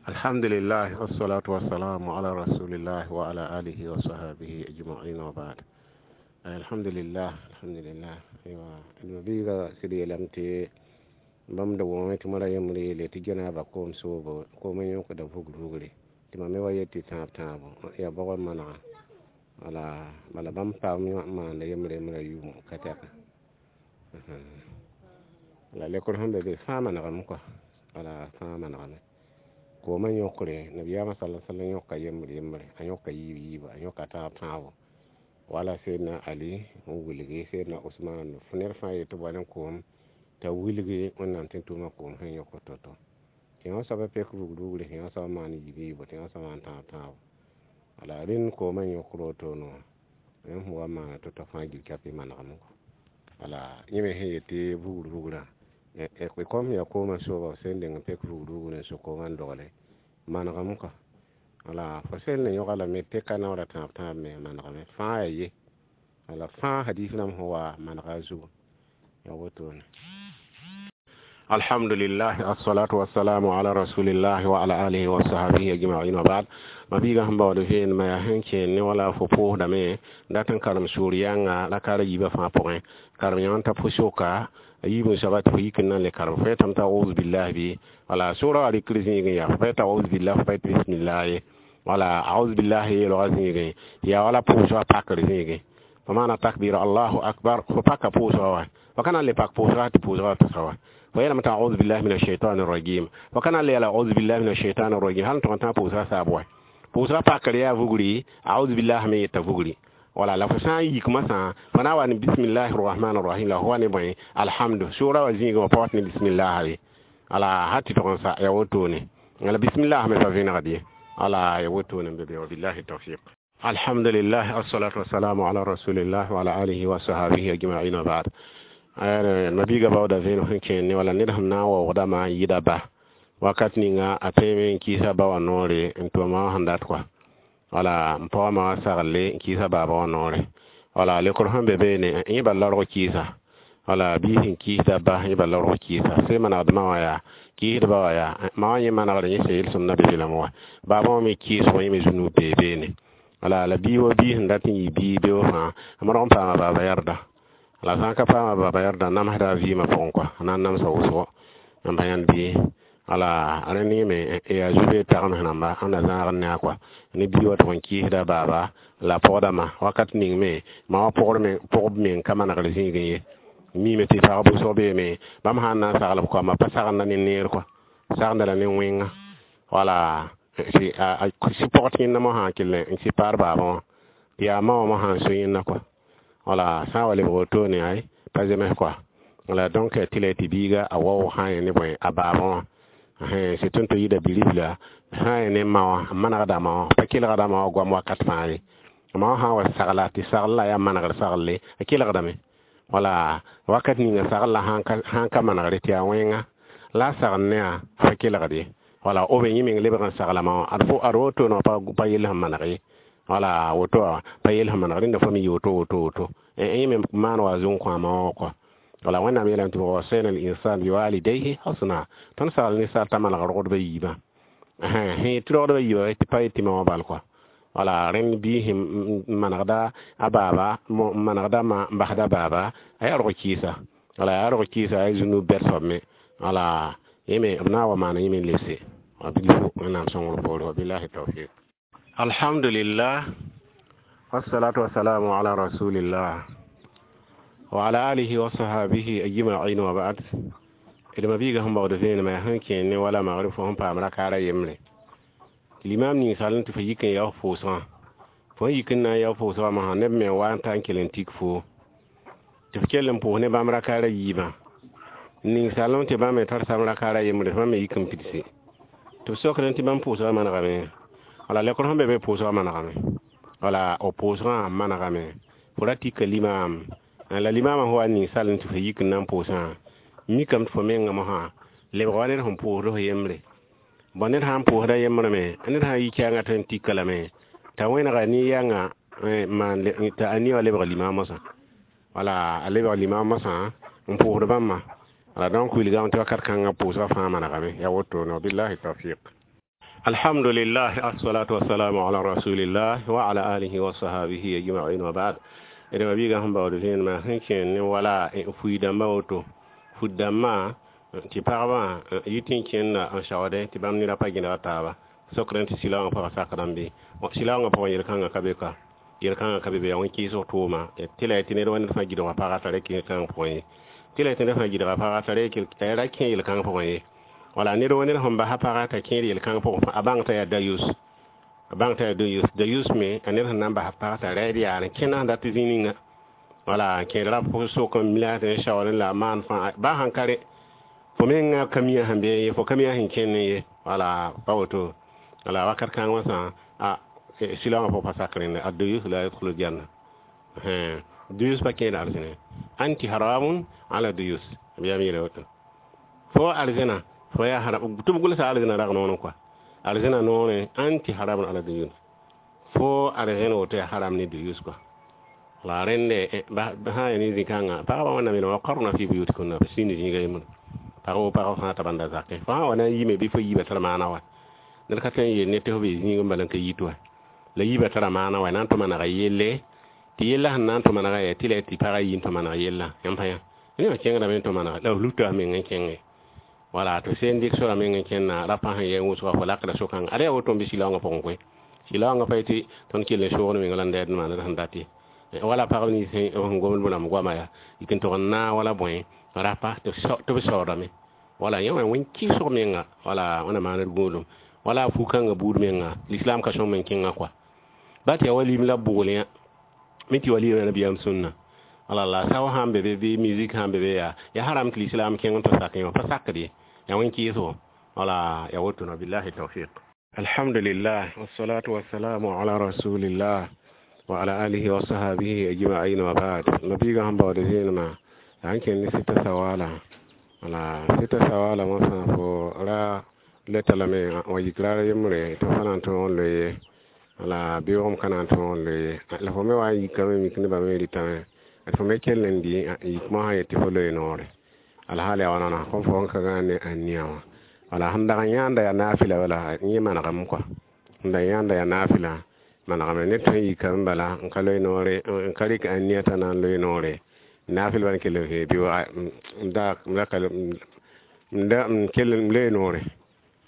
Alhamdulillah, wassalatu wassalamu ala rasulillah wa ala alihi wa sahbihi ajma'in wa ba'd. Alhamdulillah, alhamdulillah. Aywa, mabiiga sɩd yeelame tɩ bãmb da wõngame tɩ moara yembre yeele tɩ janaba koom soobo koomã yõkda vugr vugre tɩ mam me wa yet tɩ tãab tãabo yaa bɔgr manega wala bala bãmb paam maanda yembre yembrã yʋʋm ka tɛka la lekr sẽn be be fãa manegame kɔa wala fãa manegame koomã yõkre nabiyaamã sala sallam yõka yembre yembre a yõka yiib yiiba a yõka tãab tãabo wala Seydina Ali n wilgi Seydina Usman ned fãa yetɩ b wa ne koom t'a wilgi Wẽnnaam tẽn-tʋʋmã koom sẽn yõk to-to tɩ yõ soaba pek vugr vugre tɩ yõ soaba maan yiib yiibo tɩ yõ soaba maan tãab tãabo wala rẽnd koomã yõkr wotone wã yẽ sẽn wa n maana to-to fãa gil-kɛp manegame wala yẽ me sẽn yetɩ vugr vugrã kom yaa koomã sooba f sẽn deng n pek vugr vugr n sʋk koomã n dogle manegame kɔa wala fo sẽn le yõga lame tɩ ka naoora tãab tãab me manegame fãa yaa ye wala fãa hadis rãmb sẽn wa manega a zugu yaa wotone. Alhamdulillah, assalatu wassalamu ala rasulillah wa ala alihi wa sahbihi ajma'in wa ba'd. Mabiiga sẽn baood vẽenemã yaa sẽn kẽen ne wala fo pʋʋsdame dat n karem sʋʋr yãnga rakaara yiibã fãa pʋgẽ karem yã n ta pʋ-soka a yiib n soaba tɩ fo yik n na n le karem fo yetame t'a auzu billah bɩ wala sʋʋrã wa rɩkr zĩigẽ yaa fo pa yeta auzu billah fo pa yet bismillah ye wala auzu billah yeelgã zĩigẽ yaa wala pʋʋsgã pakr zĩigẽ fo maana takbir allahu akbar fo paka pʋʋsgã wa fo ka na n le pak pʋʋsgã tɩ pʋʋsgã wa tʋsa wa fo yeelame t'a auzu billahi min ashaitani rajim fo ka na n le yeela auzu billahi min ashaitani rajim hal n tʋg n tã pʋʋsgã saab wa pʋʋsgã pakr yaa vugri auzu billah me yeta vugri wala la fo sã n yik masã fo na n wa ne bismillahi rahmani rahim la fo wa ne bõe alhamdu sʋʋrã wa zĩigẽ wa pa wat ne bismillah ye ala har tɩ tʋg n sa yaa wotone wala bismillah me pa vẽnegd ye ala ya wotone n be be wa billahi tawfiq. Alhamdulillah, assalatu wassalamu ala rasulillah wa ala alihi wa sahbihi ajma'in wa ba'd. Mabiiga baooda vẽenem sẽn kẽer ne wala ned sẽn na n waoogdama n yɩda ba wakat ninga a tõeme n kɩɩsa ba wã noore n tʋma wã sẽn dat kɔa wala n paooma wã sagle n kɩɩsa baaba wã noore wala lekr sẽn be beene yẽ bal la rog kɩɩsa wala bɩ sẽn kɩɩsda ba yẽ bal la rog kɩɩsa sẽn manegdmã wã yaa kɩɩsdba wã yaa ma wã yẽ manegre yẽ sẽn yel-sõmdã be belame wã baabã wã me kɩɩsg yẽ me zũnug bee beene wala la bia wa bia sẽn dat n yɩ bia beoog fãa a modg n paama baaba yɛrda la sã n ka paama baaba yɛrda namsda a vɩɩmã pʋgẽ kɔa a na n namsa wʋsgo n pa yãnd bɩ wala rẽnd yẽme yaa zu-beed tagms rãmba sẽn na zãagd ne a kɔa ne bia wa tʋg n kɩɩsda baaba la pɔgdãmã wakat ning me ma wã pʋgb meng ka manegr zĩigẽ ye miime tɩ pag wʋsg beeme bãmb sã n na n sagl b koama pa sagendã ne neer kɔa sagendã la ne wẽnga wala sɩ pɔgd yẽnda mosã n kell n sɩ paar baabã wã tɩ yaa ma wã mosã n so yẽnda kɔa wala sã n wa lebg wotone ay pa zems kɔa wala donc tɩ la tɩ biiga a waoog sã n yẽ ne bõe a baabã wã sɩ tõnd tɩ yida biribla sã n yẽ ne ma wã n manegda ma wã pa kelgda ma wã goam wakat fãa ye ma wã sã n wa sagla tɩ sagl la yaa manegr saglle a kelgdame wala wakat ninga sagl la sãn ka manegre tɩ yaa wẽnga la a sagl ne a pa kelgd ye wala o be yẽ meng lebg n sagla ma wã ad wotone wã pa yell sẽn maneg ye wala woto wã pa yell sẽn maneg rẽnda fo me yɩ woto woto woto yẽ me maan wa zũng kõ a ma wã kɔa wala Wẽnnaam yeelame tɩ wasayna al-insan biwalidayhi husna tõnd sagl ninsaal t'a maneg rogdbã yiibã sẽn tɩ rogdbã yiibã tɩ pa yet tɩ ma wã bal kɔa wala rẽnd bɩ sẽn manegda a baaba n manegda ma n basda baaba a yaa rog kɩɩsa wala yaa rog kɩɩsa a zũnug bɛd soab me wala yẽ me b na n wa maana yẽ me n lebse wa bilfu Wẽnnaam sõngr poore wa billahi tawfiq. Alhamdulillah, wassalatu wassalamu ala rasulillah wa ala alihi wa sahbihi ajma'in wa ba'd. D mabiiga sẽn baood vẽenemã yaa sẽn kẽer ne wala magrib fo sẽn paam rakaara yembre tɩ limam ninsal n tɩ fo yik n yao pʋʋsgã fo n yik n na n yao pʋʋsgã mosã neb me wa n ta n kell n tik foo tɩ f kell n pʋʋs ne bãmb rakaara yiibã ninsalem tɩ bãmb me tar sam rakaara yembre bãmb me yik n pidse tɩ b sokdẽ tɩ bãmb pʋʋsgã manegame wala lekr sẽn be be pʋʋsgã manegame wala b pʋʋsgã manegame fo ra tika limaam la limaamã sẽn wa ninsal n tɩ fo yik n na n pʋʋsã mikame tɩ fo mengã mosã lebg wa ned sẽn pʋʋsd f yembre bõn ned sã n pʋʋsda yembre me ned sã n yi kɛɛngã tɩ n tika lame t'a wẽnega nin-yãnga t'a a nin wã lebg limaam mosã wala a lebg limaam mosã n pʋʋsd bãmba wala donc wilgame tɩ wakat kãngã pʋʋsgã fãa manegame yaa wotone wa billahi tawfiq. Alhamdulillah, assalatu wassalamu ala rasulillah wa ala alihi wa sahbihi ajma'in wa ba'd. D ma biiga sẽn baood vẽenemã sẽn kẽer ne wala fui-dãmbã woto fut-dãmbã tɩ pagbã yit n kẽnda n saoodẽ tɩ bãmb nera pa gẽdg taaba sokdẽ tɩ sɩlaoongã pʋgã sakdame bɩ sɩlaoongã pʋgẽ yel-kãngã ka be ka yel-kãngã ka be be yaa wẽn-kɩɩsg tʋʋma tɩ la tɩ ned wa ned fãa gɩdga paga t'a ra kẽ kãng pʋgẽ ye tɩ la tɩ ned fãa gɩdga paga t'a ra kẽ yel-kãng pʋgẽ ye wala ned wa ned sẽn basa paga t'a kẽed yel-kãng pʋgẽ a bãng t'a yaa dayus a bãng t'a yaa dayus dayus me a ned sẽn na n basa paga t'a raid yaar n kẽna sẽn dat zĩ ninga wala kẽed ra sok n mila tɩ n saoodẽ la a maan fãa ba sãn ka re fo menga ka mia sẽn be ye fo ka mia sẽn kẽnd ye wala pa woto wala wakat kãng wã sã a sɩlaoongã pʋg pa sak rẽnda ad-dayus la yadkhulu janna dayus pa kẽed arzẽne anti haramun ala dayus b yaa yeela woto fo arzẽna fo yaa haram tɩ b gʋlsa arzẽna rag noorẽ kɔa arzẽna noorẽ anti haramun ala dayus fo arzẽn woto yaa haram ne dayus kɔa la rẽnde sã n yaa ne zĩ-kãngã pagba wẽnnaam yeelame wa qarna fi buyutikunna b sĩnd zĩiga yembre pag wo pag fãa t'a bãnda zakẽ fo sã wa na n yime bɩ fo yiibã tara maana wa ned ka tõe n yeel ne tɩ fo bee zĩig n bala n ka yit wa la yiibã tara maana wa na n tʋ manega yelle tɩ yella sẽn na n tʋ manega yaa tɩ la tɩ pagã yi n tʋ maneg yella yãmb pa yã ne wã kẽngdame n tʋ manega la f luta f meng n kẽnge wala tɩ seen dɩk sora meng n kẽnna rapa sẽn yɛ n wʋsga fo lakda so-kãnga ada yaa woto n bɩ sɩlaoongã pʋgẽ koe sɩlaoongã pa yetɩ tõnd kell n soogd meng la n dɛɛd n maan d sẽn dat ye wala pagb nins sẽn gomd b rãmb goama yaa yik n tog n naag wala bõe rapa tɩ b saoodame wala yẽ wã wẽn-kɩɩsg menga wala wẽna maan d gũudum wala a fu-kãngã buud menga l'islam ka sõm n kẽngã kɔa ba tɩ yaa wa lim la bʋgl yã me tɩ wa lɩɩma nabiyaam sũnna wala la sao sãn be be bɩ musique sãn be be yaa ya haram tɩ l'islam kẽng n tɩ sakẽ wã pa sakd ye yaa wẽn-kɩɩsgo wala ya woto na billahi tawfiq. Alhamdulillah, wassalatu wassalamu ala rasulillah wa ala alihi wa sahbihi ajma'in wa ba'd. Nabiga sẽn baood zẽenemã yaa n kẽnd ne sɩta sawala wala sɩta sawala wã fãa fo ra leta lame wa yik raar yembre tɩ fo na n tõog n loe ye wala beoogem ka na n tõog n loe ye la fo me wa n yikame mik nebã me rɩtame d fo me kell n dɩ yik mosã yetɩ fo loe noore alhaal yaa wãna kom fo n ka gãag ne ania wã wala sẽn dag n yãanda yaa naafɩla bala yẽ manegame kɔa sẽn dag yãanda yaa naafɩla manegame ned tõe n yikame bala n ka loe noore n ka rɩk ania t'a na n loe noore naafɩl bal n kell n vee bɩ n da n kell n loe noore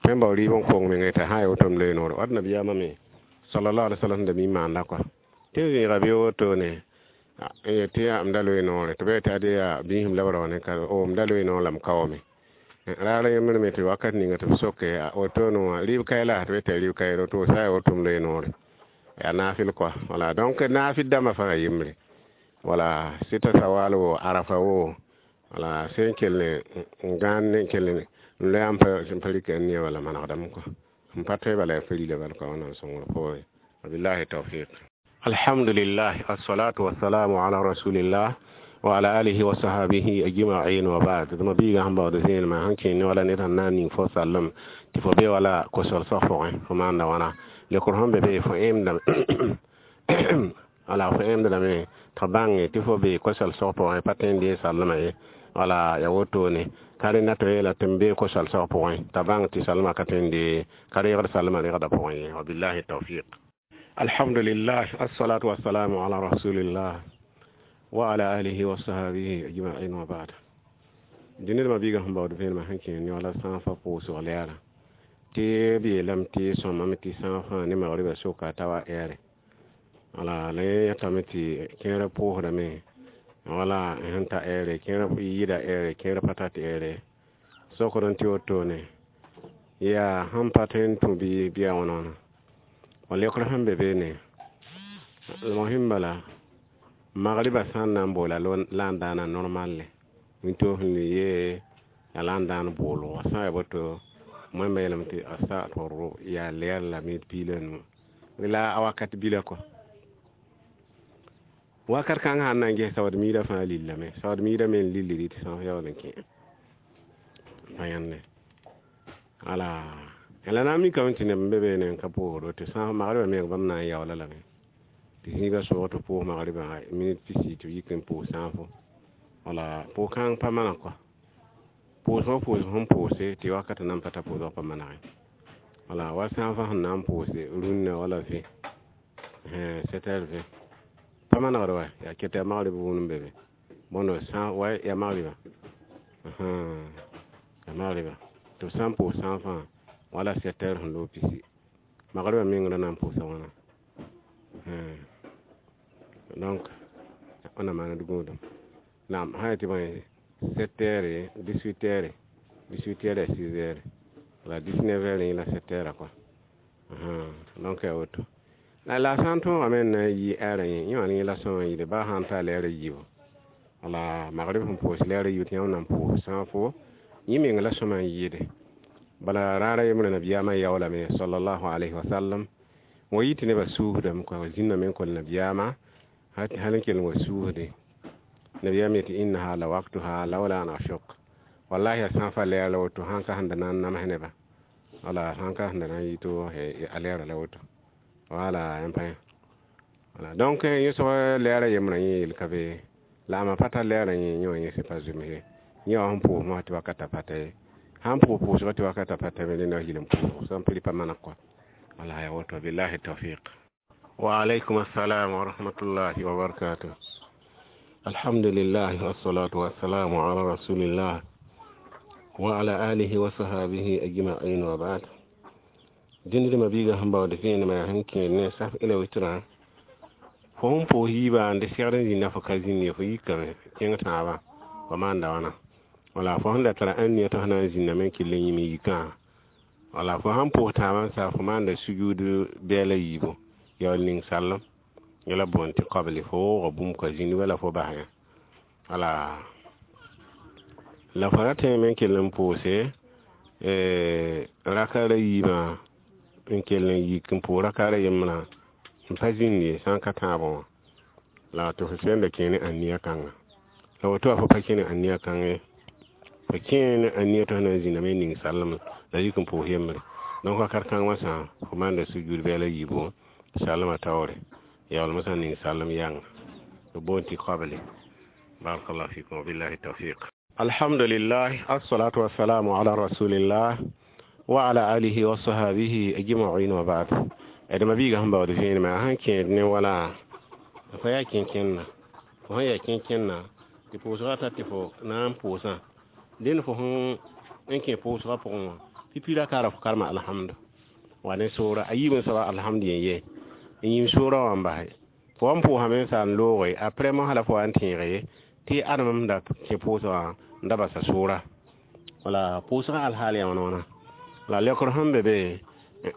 tõe n bao rɩɩb n kong mengã t'a sã n yaa woto m loe noore wat nabiyaamã me sallallahu alaihi wasallam da mi maanda kɔa tɩ n zẽega bɩ wotone n yetɩ yaa m da loe noore tɩ ba yetɩ ade yaa biisem la b rao ne ka o m da loe noor la m kaoome raar yembr me tɩ wakat ninga tɩ b soke wotone wã rɩɩb kae la tɩ b yetɩ rɩɩb kaeero tɩ sã n yaa woto m loe noore yaa naafɩl kɔa wala donc naafɩl dãmbã fãa yembre wala sɩta sawal wo arafa wo wala sẽn kell n gãan ne kell n loe n pa rɩk ania wala manegdame kɔa n pa tõe bala yaa fa-rila bal kɔa wẽnnaam sõngr poore wabillahi tawfiq. Alhamdulillah, assalatu wassalamu ala rasulillah wa ala alihi wa sahbihi ajma'in wa ba'd. D mabiiga sẽn baood zẽenemã sẽn kẽen ne wala ned sẽn na n ning fo sallem tɩ fo be wala kosol sag pʋgẽ fo maanda wãna lekr sẽn be be fo ẽmdame wala fo ẽmdame tɩ bãnge tɩ fo be kosol sag pʋgẽ pa tõe n dee sallmã ye wala ya wotone ka rẽnda tɩ yeela tɩ m bee kosal sag pʋgẽ t'a bãng tɩ salmã ka tõe n dee ka reegd salmã regda pʋgẽ ye wabillahi tawfiq. Alhamdulillah, assalatu wassalamu ala rasulillah wa ala alihi wa sahbihi ajma'in wa ba'd. Dĩned mabiigã sẽn baood vẽenemã sẽn kẽer ne wala sã n fa pʋʋsg lɛɛrã tɩ b yeelame tɩ sõmame tɩ sã n fãa ne magribã soka t'a wa ɛɛre wala la yẽ yãtame tɩ kẽerã pʋʋsdame wala sẽn ta ɛɛre kẽerã yɩɩda ɛɛre kẽer pa tat ɛɛre sokd n tɩ wotone yaa sẽn pa tõe n tũ bɩ bɩa wãna wãna wa lekr sẽn be beene mosẽn bala magriba sã n na n boola la n daana normalle wĩntoog sẽn le yee yaa la n daan boolgo sã n yaa boto wẽmba yeelame tɩ a saat rʋ yaa lɛɛr la minit piig la nu la a wakat bila kɔa wakat kãng sãn na n ges saood miidã fãa lillame saood miidã me n lilldi tɩ sã yaool n kẽ pa yãnde wala la na n mikame tɩ neb n be beene n ka pʋʋsdo tɩ sã magribã meng bãmb na n yaoola lame tɩ zĩigã soog tɩ pʋʋs magribã minit pisi tɩ b yik n pʋʋs sãafo wala pʋʋs-kãng pa maneg kɔa pʋʋsgã pʋʋsg sẽn pʋʋse tɩ wakat nan pa ta pʋʋsg pa manegẽ Wala wa sã n fa sẽn na n pʋʋse rũnnã wala vẽ, 7 heures 20 pa manegd wa yaa ket yaa magrib wʋʋn n be be bõndo sã wa yaa magriba, yaa magriba tɩ b sã n pʋʋs sã n fãa wala 7 heures sẽn loog pisi magribã meng ra na n pʋʋsa wãna. Donc wẽnnaam maan d gũudum. Naam, sã n yetɩ bõe 7 heures, 18 heures, 18 heures yaa 6 heures la 19 heures yẽ la 7 heures quoi. Donc yaa woto la sã n tõogame n na n yi ɛɛrã yẽ, yẽ wã yẽ la sõma yɩle baa sã n ta lɛɛrã yiibu wala magrib sẽn pʋʋs lɛɛrã yiibu tɩ yãmb na n pʋʋs sã n fo yẽ meng la sõma n yɩɩde. Bala raara yembrã nabiyaamã yaoolame sallallahu alayhi wa sallam wa yɩ tɩ nebã suusdame wa zĩnname n kell nabiyaamã hal n kell n wa suusde. Nabiyaam yetɩ innaha la waktuha lawla an ashuk, wallahi a sã n fa lɛɛr la woto sãn ka sẽn da na n nams nebã, wala sãn ka sẽn da na n yɩ tɩ a lɛɛra la woto, wala yãmb pa yã. Wala donc yẽ soab lɛɛrã yembrã yẽ yel ka be la a ma pa tar lɛɛrã yẽ, yẽ wã yẽ sẽn pa zems ye, yẽ wã sẽn pʋʋs mosã tɩ wakatã pa ta ye, sãn pʋʋs pʋʋsgã tɩ wakatã pa ta me rẽnda yɩl n pʋʋs sã n pɩ pa maneg kɔa. Wala yaa woto, billahi tawfiq. Wa alaykum assalam wa rahmatullahi wa barakatuh. Alhamdulillah wassalatu wassalamu ala rasulillah wa ala alihi wa sahabihi ajma'in wa ba'd. Dĩnd mabiigã sẽn baood vẽenemã yaa sẽn kẽed ne saf ila witrã fo sẽn pʋʋs yiibã n de segd n zĩnda fo ka zĩnd ye, fo yikame kẽng tãabã fo maanda wãna, wala fo sẽn da tara ãnia tɩ f na n zĩndame n kell n yĩm yikã, wala fo sãn pʋʋs tãabã n sa fo maanda sujud bɛɛla yiibu yaool ning sallem yẽla boond tɩ qabli, fo wooga bũmb ka zĩnd wala fo bas yã. Wala la fo ra tõeme n kell n pʋʋse raka ra yiibã n kell n yik n pʋʋs raka ra yembrã n pa zĩnd ye sã n ka tãabã wã, la tɩ fo sẽn da kẽ ne ãnia kãnga. La woto wã fo pa kẽ ne ãnia kãng ye, fo kẽ ne ãnia tɩ f na n zĩndame n ning sallem la yik n pʋʋs yembre. Donc wakat kãng wã sã fo maanda sujud bɛɛla yiibu sallmã taoore yaool mosã ning sallem yãnga b boond tɩ qabli. Barakallahu fikum wa billahi tawfiq. Alhamdulillah assalatu wassalamu ala rasulillah wa ala alihi wa sahabihi ajma'in wa ba'd. D mabiigã sẽn baood vẽenemã sãn kẽed ne wala fo yaa kẽnkẽnna, fo sẽn yaa kẽnkẽnna tɩ pʋʋsgã ta tɩ fo na n pʋʋsã dẽnd fo sẽn n kẽ pʋʋsgã pʋgẽ wã tɩ pira kaara fo karema alhamdu wa ne soora a yiib n soaba alhamdu yẽ ye n yĩm soorã wã n base fo wa n pʋʋsame n sa n looge aprɛ mosã la fo wa n tẽege tɩ adem da kẽ pʋʋsgã wã n da basa soora. Wala pʋʋsgã alhaal yaa wãna wãna la leokr sẽn be be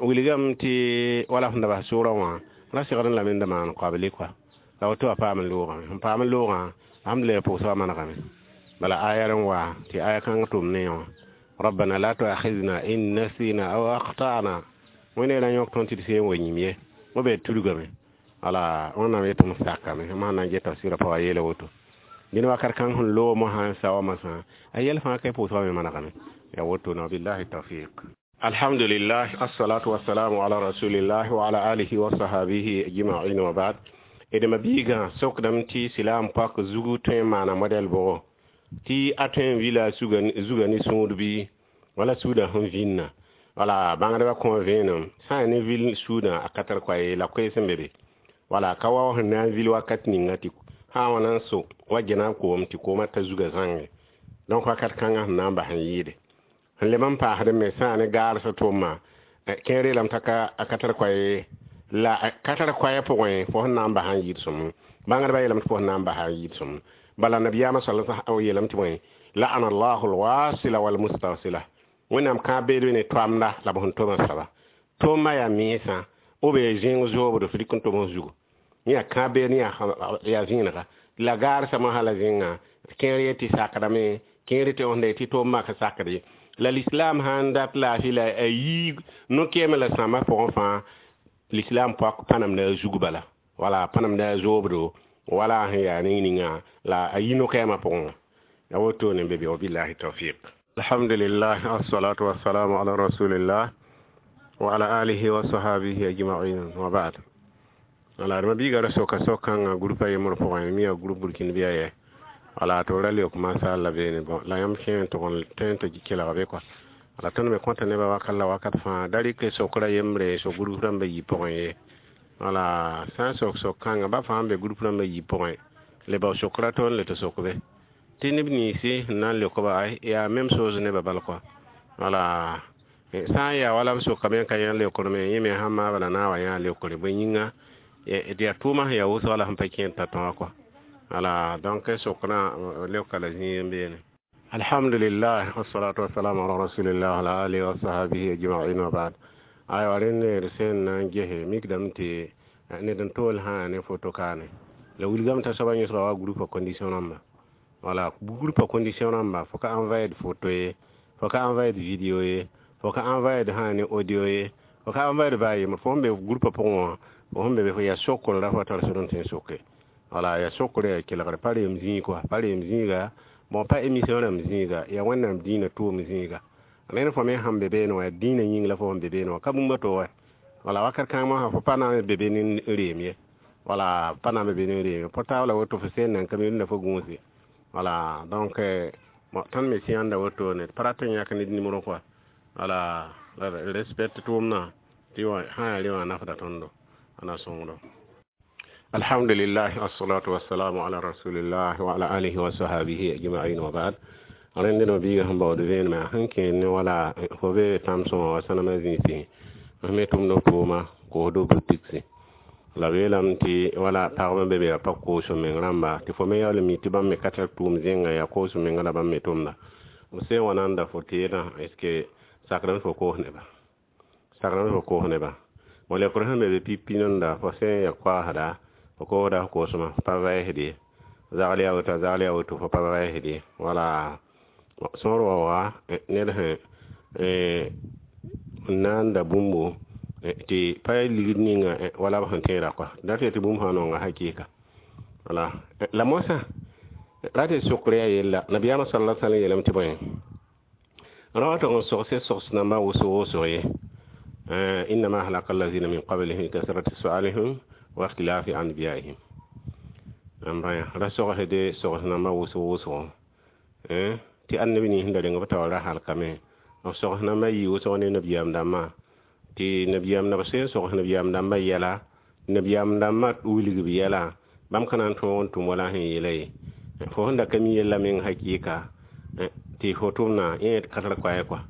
wilgame tɩ wala sẽn da bas soorã wã ra segd n lame n da maan qabli kɔa, la woto wã paam n loogame sẽn paam n loogã alhamdulillah pʋʋsgã manegame. Bala aya n wa tɩ aya kãng tʋm ne wã rabbana la tuakhidna in nasina aw akhtana, wẽne ra yõk tõnd tɩ d seen wa yĩm ye b be tudgame. Wala wẽnnaam yetɩ m sakame mosã na n get tafsɩrã pa wa yeela woto dẽnd wakat kãng sẽn loog mosã n sa wa mosã a yɛl fãa ka pʋʋsgã me manegame ya woto na billahi tawfiq. Alhamdulillah assalatu wassalamu ala rasulillah wa ala alihi wa sahabihi ajma'in wa ba'd. D mabiigã sokdame tɩ silaam pak zugu tõe n maana modɛl bʋgo tɩ a tõe n vila zuga ne sũud bɩ wala suudã sẽn vĩnna. Wala bãngdbã kõ vẽenem sã n yaa ne vil suudã a ka tar koa ye la koees n be be, wala ka wa sẽn na n vil wakat ninga tɩ sã n wa na n so wa gena koom tɩ koomã ta zuga zãnge. Donc wakat kãngã sẽn na n bas n yɩɩde sẽn leb n paasd me sã n ne gaarsã tʋʋma kẽer yeelame t'a ka tar koa ye la ka tar koɛɛ pʋgẽ fo sẽn na n bas n yɩɩd sõm bãngdbã yeelame tɩ fo sẽn na n bas n yɩɩd sõm. Bala nabiyaamã sal yeelame tɩ bõe la'ana allahu alwasila walmustawsila, wẽnnaam kãab beed ne toamda la b sẽn tʋm soaba tʋʋmã yaa mensã b zẽng zoobdo f dɩk n tʋm f zugu yẽ yaa kãab beed yaa vẽenega la gaarsã mosã la zẽnga kẽer ye tɩ sakdame kẽer tɩ võsda tɩ tʋʋm ka sakd ye la l'islam sãn dat laafɩ la a yii no-kɛɛmã la sãambã pʋgẽ fãa l'islam pak pa namda a zug bala wala pa namda a zoobdo wala sẽn yaa ning ninga la a yi no-kɛɛmã pʋgẽ wã ya wotone be be wabillahi tawfiq. Alhamdulillah assalatu wassalamu ala rasulillah wa ala alihi wa sahabihi ajma'in wa ba'd. Wala d mabiiga ra soka sok-kãngã groupa yembr pʋgẽ mi yaa group burkina bɩa yɛ wala tɩ ra leok masala beene bon la yãmb kẽ n tʋg n tõe n tɩ kelg be kɔa. La tõnd me kõta nebã wakat la wakat fãa da rɩk sokra yembre sok group rãmbã yi pʋgẽ ye. Wala sã n sok sok-kãngã ba fãa n be group rãmbã yi pʋgẽ le bao sokra tõnd le tɩ sok be tɩ neb ninsẽ sẽn na n leok-ba ay yaa même chose nebã bal kɔa. Wala sã n yaa wala b sokame n ka yã leokr me, yẽ me sãn maaba la na n wa yã leokre. Bõe yĩnga d yaa tʋʋmã sẽn yaa wʋsg la sẽn pa kẽed t'a tõa kɔa. Wala donc sokrã leoka la zĩig n beene. Alhamdulillah, wassalatu wassalamu ala rasulillah wa ala alihi wa sahbihi ajma'in wa ba'd. Aywa, rẽnd d sẽn na n gese mikdame tɩ ned n tool sã ne foto kaane la wilgame t'a soabã yõsga wa groupa condition rãmba. Wala groupa condition rãmba, fo ka envoyer photo ye, fo ka envoyer vidéo ye, fo ka envoyer sã ne audio ye, fo ka envoyer baa yembr. Fo sẽn be groupa pʋgẽ wã, fo sẽn be yaa sokr la fo tar sor n tõe n soke. Wala yaa sokr yaa kelgr, pa reem zĩig kɔa, pa reem zĩiga bon, pa émission rãmb zĩiga, yaa Wẽnnaam dĩinã tʋʋm zĩiga. Rẽnd fo me sãn be beene wã, yaa dĩinã yĩng la fo sẽn be beene wã, ka bũmb a to wa. Wala wakat kãng mosã fo pa na n be be ne reem ye. Wala pa na n be be ne reem ye, portable woto fo seen nan ka mi rẽnda fo gũuse. Wala donc tõnd me sẽanda woto ne pa rat n yãk ned nimero kɔa. Wala respecte tʋʋmdã tɩ sã yaa re wã nafda tõndo ana sõngdo. Alhamdulillah, wassalatu wassalamu ala rasulillah wa ala alihi wa sahbihi ajma'in wa ba'd. Rẽnd no biiga sẽn baood vẽenemã sẽn kẽed ne wala fo be tãm-sõma wa sãnemã zĩisi me tʋmd f tʋʋma koosdo butiksi la b yeelame tɩ wala pagb n be be yaa pa koos meng rãmba tɩ fo me yaool n mi tɩ bãmb me ka tar tʋʋm zẽnga yaa koos menga la bãmb me tʋmda. B sẽn wa nanda fo teedã, est ce que sakrame fo koos neba, sakrame fo koos neba? Bon, leokr sẽn be be pipi nanda, fo sẽn ya koasda, fo koosda f koosmã pa vɛɛsd ye, zagl yaa woto, zagl yaa woto, fo pa vɛɛsd ye. Wala sõor wa wa ned sẽn n na n da bũmbo tɩ pa ligd ninga wala b sẽn tẽeda kɔa dat tɩ bũmb sã nonga hakɩɩka. Wala la moasã ra tɩ sokr yaa yella nabiyaamã sala sallam yeelame tɩ bõe ra wa tog n sogse sogs nambã wʋsg wʋsg ye: innama ahlaka allazina min qablihim kasrati sualihim wa ikhtilafi anbiyaihim. N bãya ra sogsde sogs nambã wʋsg wʋsgo tɩ annabi nins da reng b taoor ra halkame. B sogs nambã yɩ wʋsg ne nabiyaam dãmbã tɩ nabiyaam b sẽn sogs nabiyaam dãmbã yɛla, nabiyaam dãmbã wilg b yɛla, bãmb ka na n tõog n tʋm wala sẽn yeela ye. Fo sẽn da ka mi yella meng hakɩɩka tɩ fo tʋmna yẽ ka tar koɛɛ kɔa.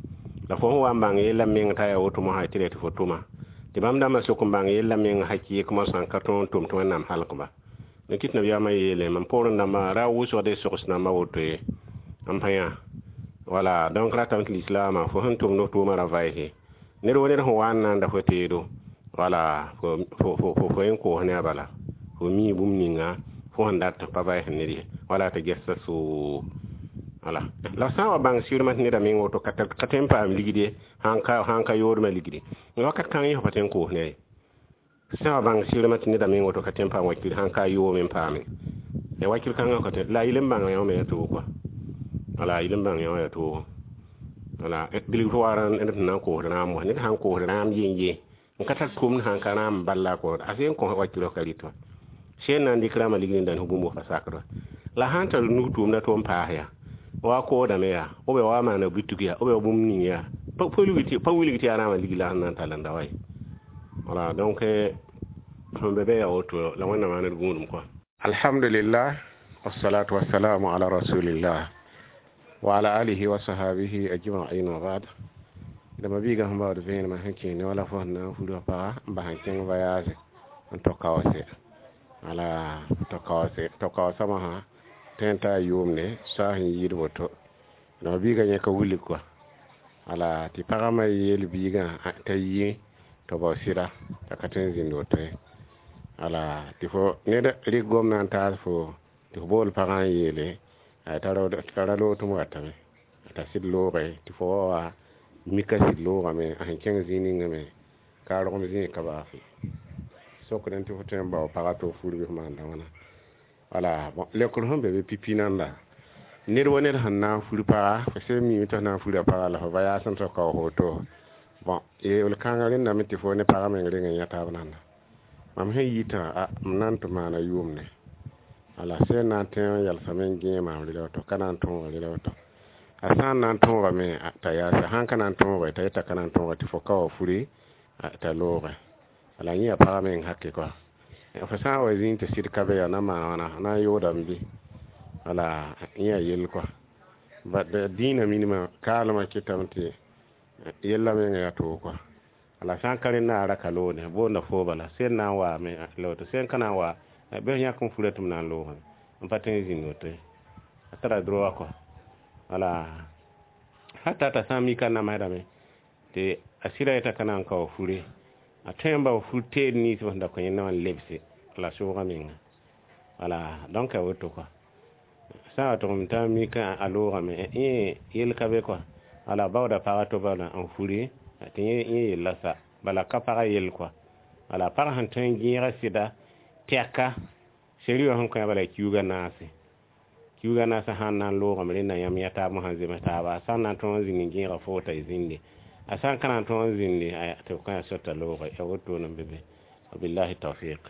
La fo sẽn wa n bãng yella meng t'a yaa woto mosã tɩ tɩ fo tʋma tɩ bãmb dãmbã sok n bãng yella meng hakɩɩk mosã n ka tõog n tʋm tɩ Wẽnnaam halkba. Ne kɩt nabiyaamã yeele mam poorẽ dãmbã ra wʋsgde sogs nambã woto ye n pa yã. Wala donc ratame tɩ lislaamã fo sẽn tʋmd f tʋʋmã ra vaɩse ned wo ned sẽn wa n na n da fo teedo. Wala fo yẽn koos ne a bala fo mi bũmb ninga fo sẽn dat pa vaɩs ned ye wala tɩ gɛsa soo. Wala la sã n wa bãng sɩrmã tɩ neda meng woto ka tõe n paam ligd ye, sãn ka yoodmã ligdi wakat kãng yẽ fo pa tõe n koos ne ye. Sã wa bãng sɩrmã tɩ neda meng woto ka tõe n paam wakir, sãn ka yoome n paame ya wakir kãngã ka tõe la yel n bãng yã me ya toog kɔa. Wala yel n bãng yã wã ya toogo. Wala bilg fo wa ned sẽn na n koosd rãam wã, ned sãn koosd rãam yen-yen n ka tar tʋmd, sãn ka rãam bal la a koosd a sẽn kõ wakirã ka rɩt wã sẽn na n dɩk rãambã ligd n dãnd fo bũmb fa sakd wa. La sãn tar nug tʋʋmda tʋm paas yaa wa koodame yaa b wa maana butug yaa b bũmb ning yaa pa wilg tɩ yaa rãambã ligd la sẽn na n tall n da wa ye. Wala donc sẽn be be yaa woto la Wẽnnaam maan d gũudum kɔa. Alhamdulillah, wassalatu wassalamu ala rasulillah wa ala alihi wa sahabihi ajma'in wa ba'd. Dama biiga sẽn baood vẽenemã sẽn kẽe ne wala fo sẽn na n fura paga n bas n kẽng voyage n tɔ kaoose. Wala tɔ kaoose, tɔ kaoosã mosã tõe n taa yʋʋmde soa sẽn yɩɩd woto. Dama biiga yẽka wilg kɔa. Wala tɩ pagã me yeel biigã t'a yi tɩ bao sɩda t'a ka tõe n zĩnd woto ye. Wala tɩ fo ned rɩk gomdã n taas fo tɩ fo bool pagã n yeele t'a ra loog tɩ m watame t'a sɩd looge tɩ fo wa wa mika sɩd loogame a sẽn kẽng zĩig ningã me ka rogem zĩig ka baase sokdẽ tɩ fo tõe n bao pagã tɩ f fur bɩ f maanda wãna. Wala bon, leokr sẽn be be pipi nanda ned wa ned sẽn na n fur paga, fo sẽn mime tɩ f na n fura paga la fo voyage n tɔ kaoos woto. Bon, yeel kãngã rẽndame tɩ fo ne pagã meng reng n yã taab nanda. Mam sẽn yitã a m na n tɩ maana yʋʋmde wala sẽn na n tẽ n yalsame n gẽe maam rela woto ka na n tõoga rela woto. A sã n na n tõogame t'a yaasa, sãn ka na n tõoge t'a yeta ka na n tõoge tɩ fo ka wa furi t'a looge. Wala yẽ yaa pagã meng hake kɔa. Fo sã n wa zĩig tɩ sɩd ka be yaa na maan wãna, na n yoodame bɩ? Wala yẽ yaa yell kɔa. Dĩinã minimã kaalmã kɩtame tɩ yella menga yaa toog kɔa. Wala sã n ka rẽnda a ra ka loogde, boonda foo bala, sẽn na n waame la woto, sẽn ka na n wa, bɩ f yãk n fura tɩ m na n loogame, n pa tõe n zĩnd woto ye. A tara droit kɔa. Wala hata t'a sã n mika n namsdame tɩ a sɩda yeta ka na n ka wa fure, a tõe n bao fur teed nins sẽn da kõ yẽnda wã n lebse la soogã menga. Wala donc a woto kɔa. Sã n wa tʋgem t'a mika a loogame, yẽ yell ka be kɔa. Wala baooda pagã to bala n furi tɩ yẽ yella sa, bala ka pagã yell kɔa. Wala pagã sẽn tõe n gẽega sɩda tɛka seri wã sẽn kõ bala kiuugã naase. Kiuugã naasã sãn na n loogame rẽnda yãmb yã taab sãn zems taaba, a sã n na n tõog n zĩnd n gẽega fo t'a zĩnde, a sã n ka na n tõog n zĩnde tɩ b kõ a sor t'a looge. Ya wotone n be be. Wabillahi tawfiq.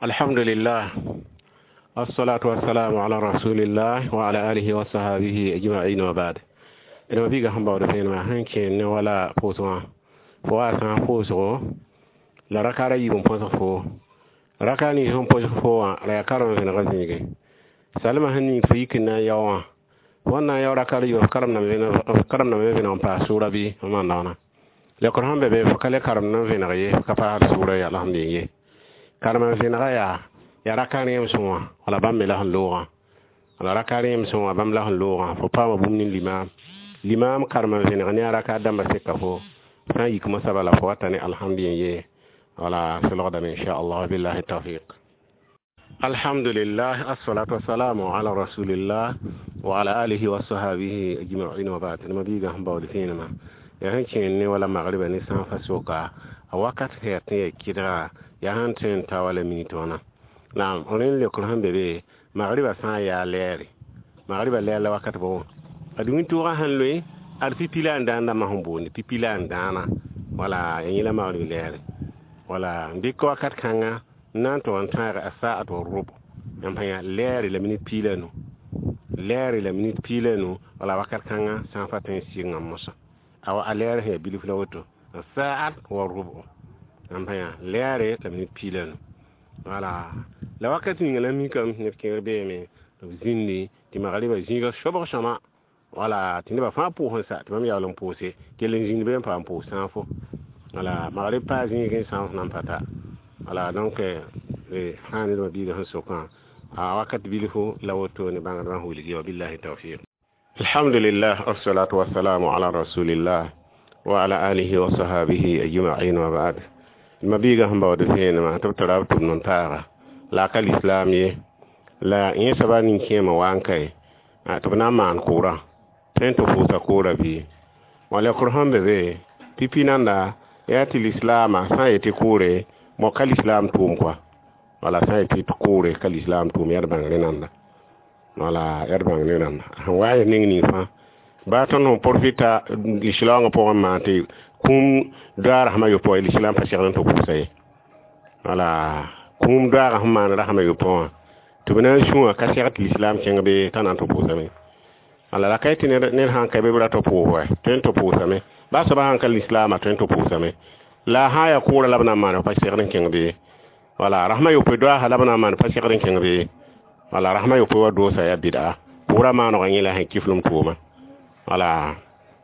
Alhamdulillah, assalatu wassalamu ala rasulillah wa ala alihi wa sahabihi ajma'in wa ba'd. D ma biiga sẽn baood vẽenemã sẽn kẽen ne wala pʋʋsgã, fo wa sã n pʋʋsgo la raka ra yiib n põsg foo. Raka nins sẽn põsg fo wã la yaa karem vẽnegã zĩige. Salmã sẽn ning fo yik n na n yao wã, fo n na n yao raka ra yiibã, f karemdame vẽneg n paas sʋʋra bɩ f maanda wãna. Lekr sẽn be be fo ka le karemd n vẽneg ye, f ka paasd sʋʋra ye alhamdulillah ye. Karem n vẽnega yaa raka rẽem-sõng wã, wala bãmb me la sẽn loogã. Wala raka rẽem-sõng wã bãmb la sẽn loogã, fo paama bũmb ne limaam. Limaam karem n vẽneg ne a raka dãmbã seka fo, sã n yik mosã bala fo wata ne alhamdulillah ye. Wala solgdame inchallah, billahi tawfiq. Alhamdulillah, assalatu wassalamu ala rasulillah wa ala alihi wa sahabihi ajma'in wa ba'd. Ma biiga sẽn baood vẽenemã yaa sẽn kẽen ne wala magriba ne sã n fa soka a wakat sẽn yaa tɩ yaa kɩdga yaa sẽn tõe n ta wala minit wãna. Naam, rẽnd leokr sẽn be be magriba sã n yaa lɛɛre, magriba lɛɛr la wakat bõ ad wĩntoogã sẽn loe ad pipi la n dãan dãmbã sẽn boonde pipi la n dãana, wala ya yẽ la magrib lɛɛre. Wala n dɩk wakat kãnga n na n tʋg n tãag a saat wa rʋb yãmb sã yaa lɛɛre la minit piig la nu, lɛɛre la minit piig la nu. Wala wakat kãngã sã n fa tõe n sɩngã mosã awa a lɛɛr sẽn yaa bilf la woto a saat wa rʋb yãmb sã yaa lɛɛre la minit piig la nu. Wala la wakat ninga la mikame neb kẽer beeme tɩ b zĩndi tɩ magriba zĩiga sobg sõma, wala tɩ nebã fãa pʋʋs n sa tɩ bãmb yaool n pʋʋse kell n zĩnd be n paam pʋʋs sãafo. Wala magrib paa zĩig n sãaf nan pa ta. Wala donc sã ned ma biiga sẽn sokã a wakat bilfu la wotone bãngdbã sẽn wilgi. Wa billahi tawfiq. Alhamdulillah, wassalatu wassalamu ala rasulillah wa ala alihi wa sahabihi ajma'in wa ba'd. Ma biiga sẽn baood vẽenemã tɩ b tara b tʋmd n taaga la a ka lislaam ye, la yẽ soaba nin-kẽemã wa n kae tɩ b na n maan kʋʋrã tõe n tɩ pʋʋsa kʋʋra bɩ wã leokr sẽn be be pipi nanda yaa tɩ lislaamã sã n yetɩ kʋʋre mo ka lislaam tʋʋm kɔa. Wala sã n yetɩ tɩ kʋʋre ka lislaam tʋʋm yaa d bãng rẽnanda, wala yaa d bãng rẽnanda sẽn wa n ning ning fãa baa tõnd sẽn profita lislaoongã pʋgẽ n maan tɩ kũum doaag rasem a yopoe, lislaam pa segd n tɩ pʋʋsa ye. Wala kũum doaagã sẽn maan rasem a yopoe wã tɩ b na n sũ wã ka segd tɩ lislaam kẽng bee t'a na n tɩ pʋʋsame. Wala la ka yetɩ ned sãn ka be b ra tɩ pʋʋs wɛ tõe n tɩ pʋʋsame, baa soaba sãn ka lislaamã tõe n tɩ pʋʋsame, la sã n yaa kʋʋrã la b na n maan pa segd n kẽng bee. Wala rasem a yopoe doaasã la b na n maan pa segd n kẽng bee. Wala rasem a yopoe wa doosa yaa bɩda pʋʋrã maanegã yẽ la sẽn kiflem tʋʋma. Wala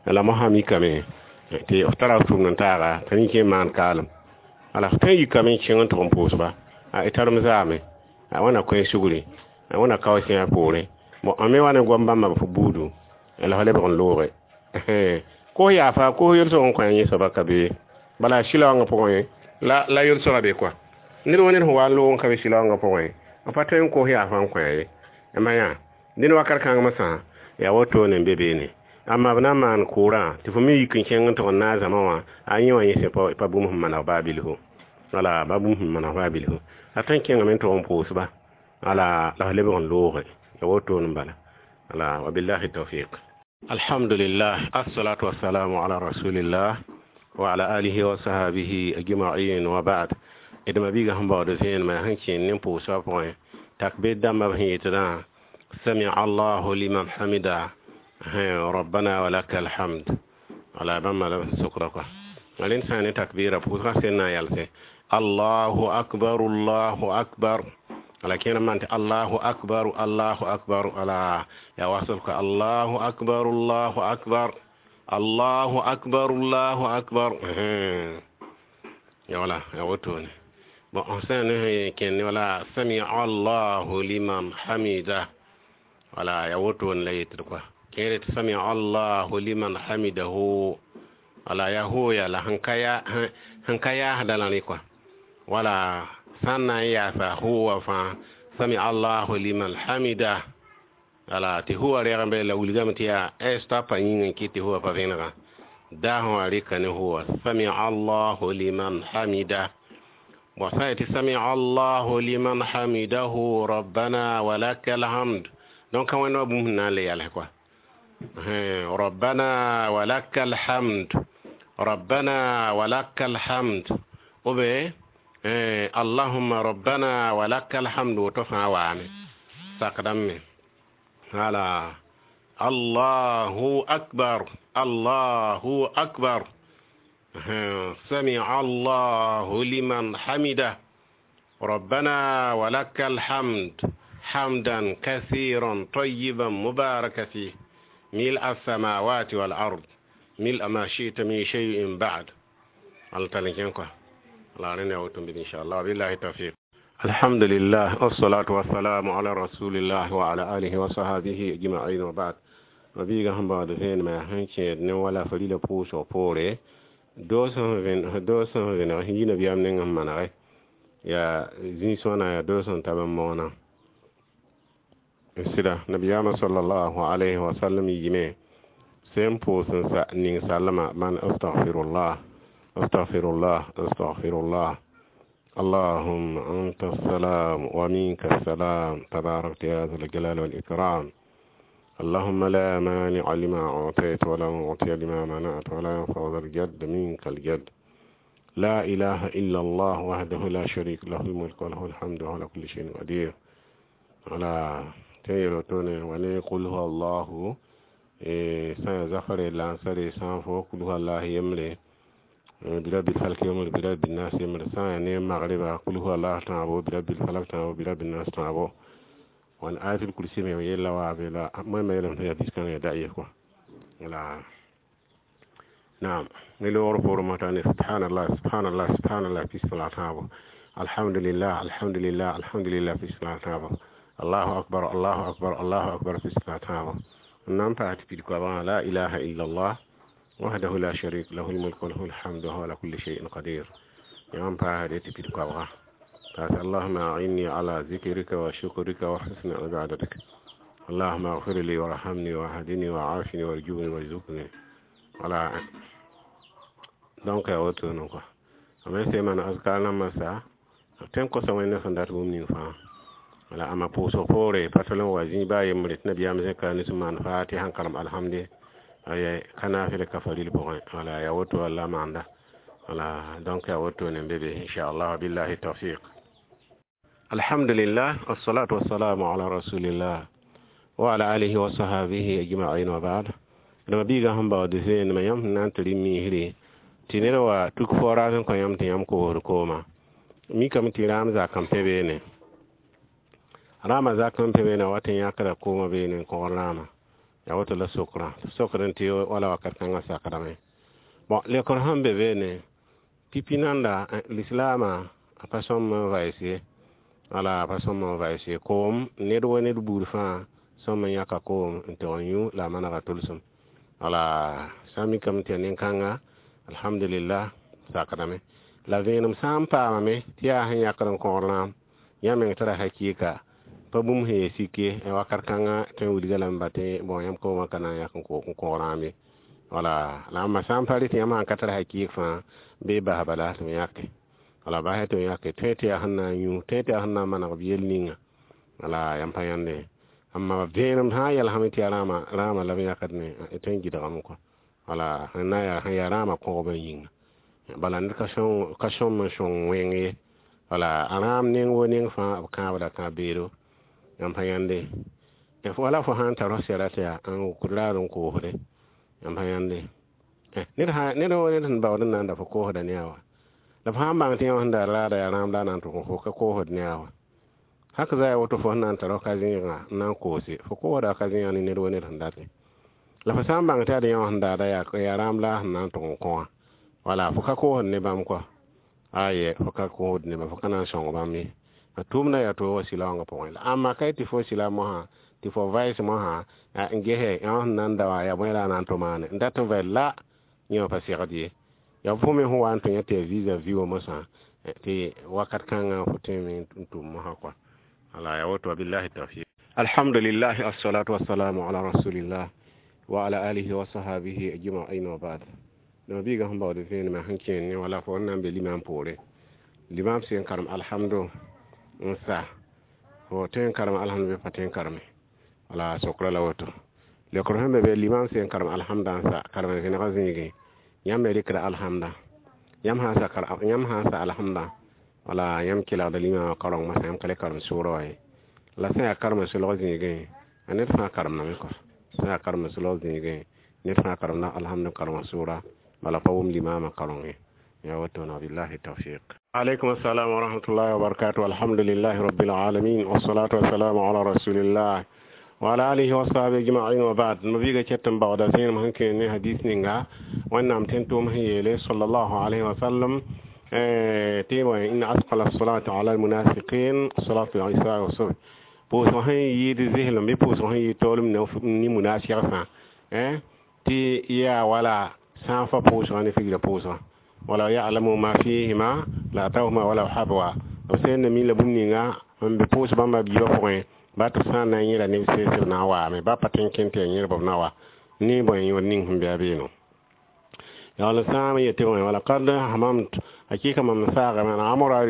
la mosã mikame tɩ f tara f tʋmd n taaga t'a nin-kẽem maan kaalem. Wala f tõe n yikame n kẽng n tʋg n pʋʋsba a tarem zaame a wãna koe sugri a wãna kao sẽa poorẽ bon a me wa ne goam bãmba f buudu la f lebg n looge kos yaafa kos yelsg n kõ yẽ soaba ka be bala sɩlaoongã pʋgẽ la yelsga be kɔa ned wa ned sẽn wa n loog n ka be sɩlaoongã pʋgẽ b pa tõe n kos yaafa n kõ ye ma yã dẽnd wakat kãng mosã yaa wotone n be beene. Amma b na n maan kʋʋrã tɩ fo me yik n kẽng n tʋg n naag zãma wã a yẽ wã yẽ sẽn pa bũmb sẽn maneg baa bilfu, wala ba bũmb sẽn maneg baa bilfu a tõe n kẽngame n tʋg n pʋʋsba wala la f lebg n looge ya wotone n bala. Wala wabillahi tawfiq. Alhamdulillah, assalatu wassalamu ala rasulillah wa ala alihi wa sahabihi ajma'in wa ba'd. D ma biiga sẽn baood vẽenemã sẽn kẽen ne pʋʋsbã pʋgẽ takbir dãmbã b sẽn yetdã sami allahu liman hamida Rabbana wa lakal hamd. Wala bãmba la b sokra kɔa. Rẽnd sã n ne takbira pʋʋsgã sẽn na n yalsẽ Allahu akbar, Allahu akbar. Wala kẽer n maan tɩ Allahu akbar, Allahu akbar. Wala yaa wasl kɔa, Allahu akbar, Allahu akbar, Allahu akbar, Allahu akbar. Ya wala ya wotone. Bon, sã n ne kẽnd wala sami Allahu liman hamida. Wala ya wotone la yetd kɔa. Kẽer tɩ sami Allahu liman hamidahu. Wala ya hooya la sẽn ka yaasda la rẽ kɔa. Wala sã n na n yaasa huwa fãa sami Allahu liman hamida. Wala tɩ huwa rɛg n be la wilgame tɩ yaa stapa yĩng n kɩt tɩ huwa pa vẽnega. Daasẽ wã rɩka ne huwa sami Allahu liman hamida. Bon, sã n yetɩ sami Allahu liman hamidahu rabbana wa lakal hamd. Donc ka wẽnd wã bũmb sẽn na n le yals kɔa. Rabbana wa lakal hamd, rabbana wa lakal hamd. Ou bien Allahumma rabbana wa lakal hamd, woto fãa waame sakdame me. Wala Allahu akbar, Allahu akbar. Sami Allahu liman hamida rabbana wa lakal hamd hamdan kathiran tayyiban mubaraka fi ملء السماوات والأرض ملء ما شئت من شيء بعد. الله تعالى كينكو الله رنا وتم إن شاء الله. بالله التوفيق. الحمد لله والصلاة والسلام على رسول الله وعلى آله وصحبه أجمعين وبعد. Mabiiga sẽn baood vẽenemã sẽn kẽed ne wala farila pʋʋsg poore doo sẽn vẽneg sẽn yi nabiyaam neng n manege yaa zĩ-sõana yaa doo sẽn tab n moonã sɩda nabiyaamã sallallahu alayhi wa sallam yime sẽn pʋʋs n sa ning sallama man astaghfirullah, astaghfirullah, astaghfirullah, اللهم أنت السلام ومنك السلام تباركت يا ذا الجلال والإكرام اللهم لا مانع لما أعطيت ولا معطي لما منعت ولا ينفع ذا الجد منك الجد لا إله إلا الله وحده لا شريك له الملك وله الحمد وهو على كل شيء قدير. ولا تيرتون وني قل هو الله سان زفر لانسر سان فو قل هو الله يملي برب الفلك يمر برب الناس يمر سان ني مغرب قل هو الله تعبو برب الفلك تعبو برب الناس تعبو وان آية الكرسي me yella wa be la moy me yelam ya diskan ya da'iya ko wala naam ni lo por matane subhanallah, subhanallah, subhanallah fi salat alhamdulillah, alhamdulillah, alhamdulillah fi salat Allahu akbar, Allahu akbar, Allahu akbar fi salat nam pa ti ko la ilaha illa Allah wahdahu la sharik lahu al-mulku wa lahu al-hamdu wa huwa ala kulli shay'in qadir yam pa ti ko اللهم أعني على ذكرك وشكرك وحسن عبادتك اللهم اغفر لي وارحمني وهدني وعافني وارجوني وارزقني wala donc ya woto no quoi amma sai man azkar na masa ten ko sa wẽnd sẽn dat bũmb ning fãa wala ama pʋʋsg poore pa tol n wa zĩ baa yembre tɩ nabiyaam zẽka ne sẽn maan fatiha n karem alhamde ay ka naafɩl ka faril pʋgẽ wala ya woto walla maanda wala donc ya woto ne be be inchallah billahi tawfiq. Alhamdulillah wassalatu wassalamu ala rasulillah wa ala alihi wa sahbihi ajma'in wa ba'd. Dama biiga sẽn baood vẽenemã yãmb sẽn na n tɩ rɩ miisre tɩ ned wa tuk fo-raas n kõ yãmb tɩ yãmb koosd kooma mikame tɩ raam zakam pẽ beene rãamã zakam pẽ beene wa tɩ yãkda koomã beene n kõgd rãamã yaa woto la sokrã sokd n tɩ wala wakat kãngã sakdame. Bon, lekr sẽn be beene pipi nanda lislaamã a pa sõm n vaɩs ye wala a pa sõm n vaɩs ye koom ned wa ned buud fãa sõm n yãka koom n tɩg n yũ la a manega tʋlsem wala sã n mikame tɩ yaa nin-kãnga alhamdulillah sakdame la vẽenem sã n paamame tɩ yaa sẽn yãkd n kõgd rãam yã meng tara hakɩɩka pa bũmb sẽn yaa sik ye wakat kãngã tõe n wilga lame ba tɩ bon yãmb koomã ka na n yãk n kõg rãam ye wala la ãmba sã n pa rɩ tɩ yãmb sãn ka tar hakɩɩk fãa bɩ bas bala tɩ b yãke wala basɛ tɩ b yãke tõe tɩ yaa sẽn na n yũ tõe tɩ yaa sẽn na n maneg b yel ninga wala yãmb pa yãnde amma vẽenem sã n yɛlsame tɩ yaa rãamã la b yãkd ne tõe n gɩdgame kɔ wala sẽn na yaa sẽn yaa rãamã kõgba yĩnga bala ned ka sõm n sõng wẽng ye wala a rãam neng wo neng fãa b kãabda kãab beedo yãmb pa yãnde Wala fo sã n tar f sɛra tɩ yaa n wʋkd raad n koosde yãmb sã yãnde ned ned sẽn baood n na n da fo koosda ne a wa la f sã n bãng tɩ yã sẽn daar raada yaa rãam la a na n tʋg n fo ka koosd ne a wa hak za ya woto fo sẽn na n tar f ka zẽegã n na n koose fo koosda ka zẽegã ne ned wa ned sẽn datẽ la fo sã n bãng tɩ ad yã wã sẽn daada yaa rãam la a sẽn na n tʋg n kõ wã wala fo ka koosd ne bãmb kɔa aye fo ka koosd ne bãmb fo ka na n sõng bãmb ye a tʋʋmda yaa toog wa sɩlaoongã pʋgẽ la ãmba ka tɩ fo sɩla mosã tɩ fo vaɩs mosã n gese yã sẽn na n da wã yaa bõe la a na n tʋ maane n dat n vaɩl la yẽ wã pa segd ye yaa fo me sẽn wa n tũ yã tɩ yaa visa vi wã mosã tɩ wakat kãngã fo tõeme n tʋm mosã kɔa ala ya woto billahi tawfiq. Alhamdulillah, assalatu wassalamu ala rasulillah wa ala alihi wa sahabihi ajma'in wa ba'd. Dama biiga sẽn baood vẽenemã sẽn kẽen ne wala fo n na n be limam poore limam sẽn karem alhamdu n sa fo tõe n karem alhamdu bɩ pa tõe n kareme wala sokra la woto leokr sẽn be be limam sẽn karem alhamda n sa karem vẽnegã zĩigẽ yãmb me rɩkda alhamda yãmb sã n sa alhamda wala yãmb kelgda limamã kaoreng masã yãmb ka le karem sʋʋra wã ye la sẽn yaa karem solg zĩigẽ a ned fãa karemdame kɔ sẽn yaa karem solg zĩigẽ ned fãa karemda alhamdu karema sʋʋra bala pa wʋm limamã kaoreng ye ya woto na billahi tawfiq. Alaikum assalam wa rahmatullahi wa barakatuh. Alhamdulillahi rabbil alamin wassalatu wassalamu ala rasulillah wa ala alihi wa sahbihi ajma'in wa ba'd. Mabiga chettan bawda sen ma hanke ne hadis ninga wannan ten to ma yele sallallahu alaihi wa sallam ti wa inna asqala as-salati ala al-munafiqin salatu al-isha wa subh pʋʋsg sẽn yɩɩd zɩslem bɩ pʋʋsg sẽn yɩ taoolem ne munafigsã tɩ yaa wala sã n fa pʋʋsgã ne figrã pʋʋsgã wala ya'lamu ma fihima la atawhuma wala habwa b sẽn na mi la bũmb ninga n be pʋʋs bãmba biibã pʋgẽ ba tɩ sã n na n yẽla neb sɛɛs b na n waame ba pa tõe n kẽ tɩ yaa yẽlb b na wa ne bõe yõod ning sẽn be a beeno yaool sã n yetɩ bõe wala kad hamamt hakika mam saagame an amura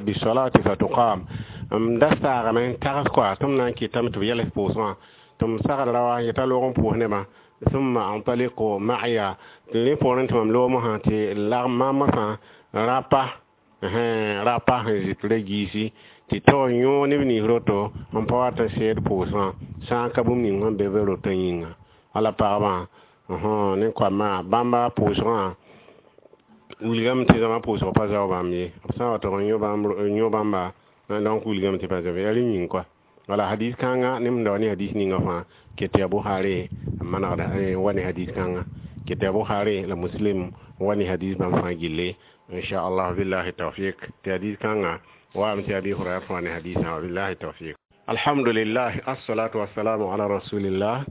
bisolati fatuqam m da saagame n tags kɔa tɩ m na n kɩtame tɩ b yɛls pʋʋsgã tɩ m sagd ra wa yeta loog n pʋʋs nebã ثم أنطلق معي tɩ poorẽ tɩ mam loog mosã tɩ lagm maam mosã rapa rapa sẽn zɩt ra giisi tɩ taoor yõog neb nins roto n pa wat n seed pʋʋsgã sã n ka bũmb ning sẽn be be rotã yĩnga wala pagbã ne koamã bãmba pʋʋsgã wilgame tɩ zãma pʋʋsg pa zao bãmb ye b sã n wa tog n yõ bãmba donc wilgame tɩ pa zao yaa rẽ yĩng kɔa wala hadis kãnga ne m da wa ne hadis ninga fãa ket yaa Bukhari manegda wa ne hadis kãnga ket yaa Bukhari la Muslim wa ne hadis bãmb fãa gilli inchallah billahi tawfiq tɩ hadis kãnga waame tɩ Abi Hurairah wa ne hadisã wa billahi tawfiq. Alhamdulillah, assalatu wassalamu ala rasulillah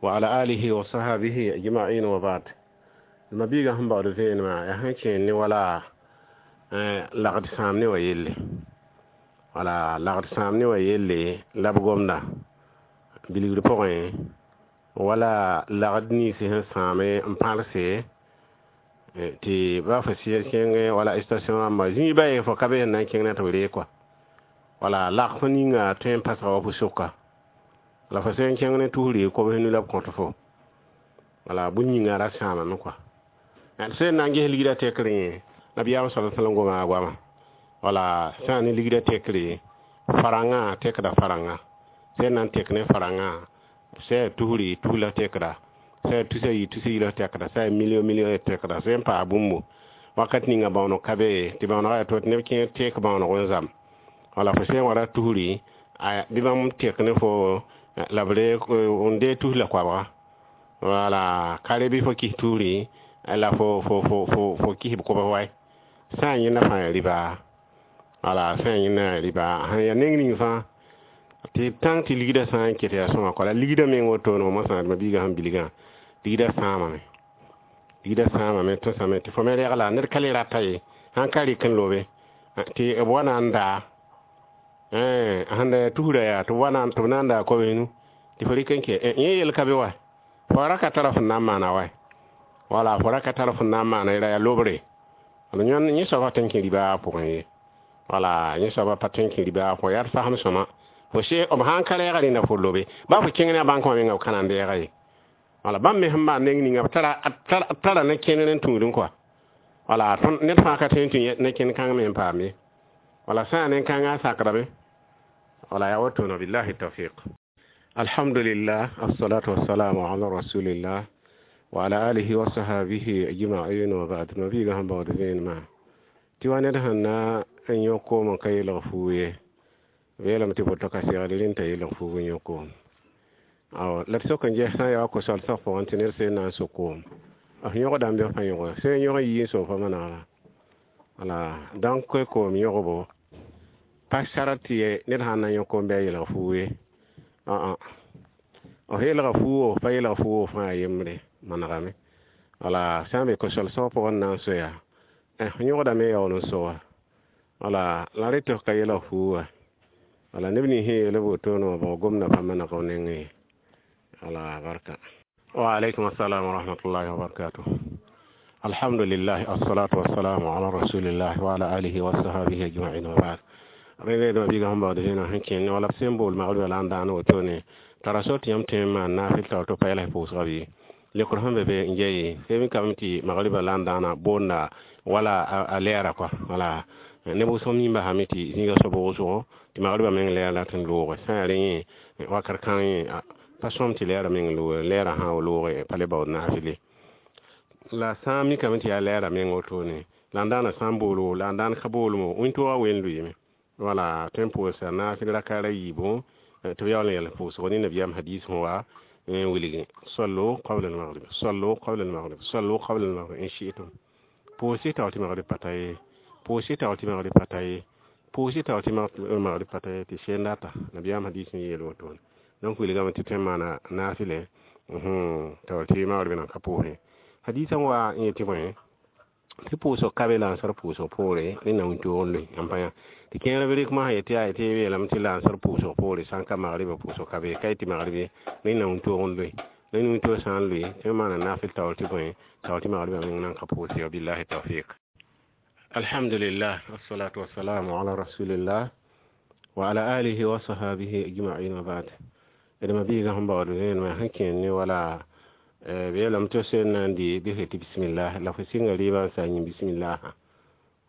wa ala alihi wa sahbihi ajma'in wa ba'd. Mabiiga sẽn baood vẽenemã yaa sẽn kẽen ne wala lagd sãam ne wa yelle wala lagd sãam ne wa yelle la b gomda bilgr pʋgẽ wala lagd nins sẽn sãame n pãlse tɩ ba fo kẽng wala station rãmba zĩig ba ye fo ka be sẽn na n kẽng na tɩ b ree kɔa wala lagf ninga tõe n pasga wa fu-sʋka la fo sẽn kẽng ne tusr kobs nu la b kõt fo wala bũmb yĩnga ra sãamame kɔa sẽn na n ges ligdã tekr yẽ nabiyaam sala sallam goma a goama wala sã ne ligdã tekre farãngã tekda farãngã sẽn na n tek ne farãngã sã tusri tus la tekda sã tusa yi tusa yi la tekda sã million million tekda sẽn paa bũmbo wakat ninga bãooneg ka be tɩ bãoonegã yaa to tɩ neb kẽer tek bãooneg n zam wala fo sẽn wa ra tusri bɩ bãmb tek ne fo la b reeg n dee tus la koabga wala ka re bɩ fo kis tusri la fo fo fo fo fo kis b kobs wae sã n yẽnda fãa yaa rɩba wala sã n yẽnda yaa rɩba sẽn yaa neng ning fãa tɩ tãng tɩ ligdã sã n ket yaa sõma kɔ la ligdã meng woto mosã ma biigã sẽn bilgã ligdã sãamame ligdã sãamame tõsame tɩ fo me regla ned ka le rata ye sãn ka rɩk n lobe tɩ b wa na n daa sẽn da yaa tusrã yaa tɩ b wa na tɩ b na n daa kobs nu tɩ fo rɩk n kɛ yẽ yel ka be wa fo ra ka tara fõn na n maana wa wala fo ra ka tara fõn na n maana ra yaa lobre wala yẽ soaba tõe n kẽ ribaa pʋgẽ ye wala yẽ soaba pa tõe n kẽ ribaa pʋgẽ yaa d fasem sõma fo se b sãn ka reega rẽnda fo lobe ba fo kẽng ne a bãnk wã menga b ka na n deega ye wala bãmb me sẽn maan neng ninga b tara ne kẽner n tũudẽ kɔa wala ned fãa ka tõe n tũ ne kẽn kãng me n paam ye wala sã n yaa nen-kãngã a sakdame wala yaa woto billahi tawfiq. Alhamdulillah, assalatu wassalamu ala rasulillah wa ala alihi wa sahabihi ajma'in wa ba'd. Ma biiga sẽn baood vẽenemã tɩ wa ned sẽn na n yõ koom n ka yelg fuug ye, b yeelame tɩ boto ka segd rẽnd t'a yelg fuug n yõ koom. La d sok n ges sã n yaa wa ko-solsg pʋgẽ tɩ ned seen na n so koom, f yõgdame bɩ f pa yõge sẽn yõg n yii n soog fa manegda. Wala donc koom yõgbo pa sar tɩ ned sãn na n yõ koom bɩ a yelg fuug ye. F yelga fuugo, pa yelg fuugo fãa yembre manegame. Wala sã n be ko-solsg pʋgẽ n na n soya, f yõgdame yaool n so wa. Wala la rẽ tɩ f ka yelg fuuga. Wala neb nins sẽn yeel b wotone wã bõ gomda pa maneg f nengẽ ye. Wala barka. Wa alaikum assalam wa rahmatullahi wa barakatuh. Alhamdulillah, assalatu wassalamu ala rasulillah wa ala alihi wa sahbihi ajma'in wa ba'd. Rẽnd dẽma biiga sẽn baood vẽeneg sẽn kẽnd wala b sẽn bool magribã la n daan wotone tara so tɩ yãmb tõe n maan naafɩl taoor tɩ pa yɛls pʋʋsga bɩ lekr sẽn be be n ja ye sẽb kame tɩ magribã la n daana boonda wala a lɛɛra kɔa. Wala neb wʋsg mimba same tɩ zĩiga soab wʋsgo tɩ magribã meng lɛɛr la tɩ n looge sã n yaa rẽ yẽ wakat kãng yẽ pa sõm tɩ lɛɛrã meng looge, lɛɛrã sã n looge pa le baood naafɩle. La sã n mikame tɩ yaa lɛɛrã meng wotone la n daana sã n boolgo la n daan ka boolmo wĩntoogã wen lʋɩɩme. Wala tõe n pʋʋsa naafɩl rakaar a yiibu tɩ b yaool n yɛls pʋʋsgo ne nabiyaam hadis sẽn wa n wilgi sallu qabla al-maghrib, sallu qabla al-maghrib, sallu qabla al-maghrib in shi'tum. Pʋʋs-y taoor tɩ magrib pa ta ye, pʋʋs-y taoor tɩ magrib pa ta ye, pʋʋs-y taoor tɩ magrib pa ta ye, tɩ seen data nabiyaam hadis sẽn yeel wotone. Donc wilgame tɩ tõe n maana naafɩle taoor tɩ magrib nan ka pʋʋsẽ. Hadisã wa n yetɩ bõe tɩ pʋʋsg ka be lansar pʋʋsg poore rẽnna wĩntoog n loe n pa yã tɩ kẽer b rɩk mosã yetɩ yaa tɩ yeelame tɩ lansar pʋʋsg poore sã n ka magribã pʋʋsg ka be ka yetɩ magrib rẽnna wĩntoog n loe. Rẽnd wĩntoog sã n loe tɩ maana naafɩl taoor tɩ bõe taoor tɩ magribã meng nan ka pʋʋse. Wabillahi tawfiq. Alhamdulillah, wassalatu wassalamu ala rasulillah wa ala alihi wa sahabihi ajma'in wa ba'd. D ma biiga sẽn baood vẽenemã sẽn kẽend ne wala b yeelame tɩ sẽn na n dɩ bɩ tɩ bismillah la fo sɩnga rɩɩbã n sa yĩn bismillah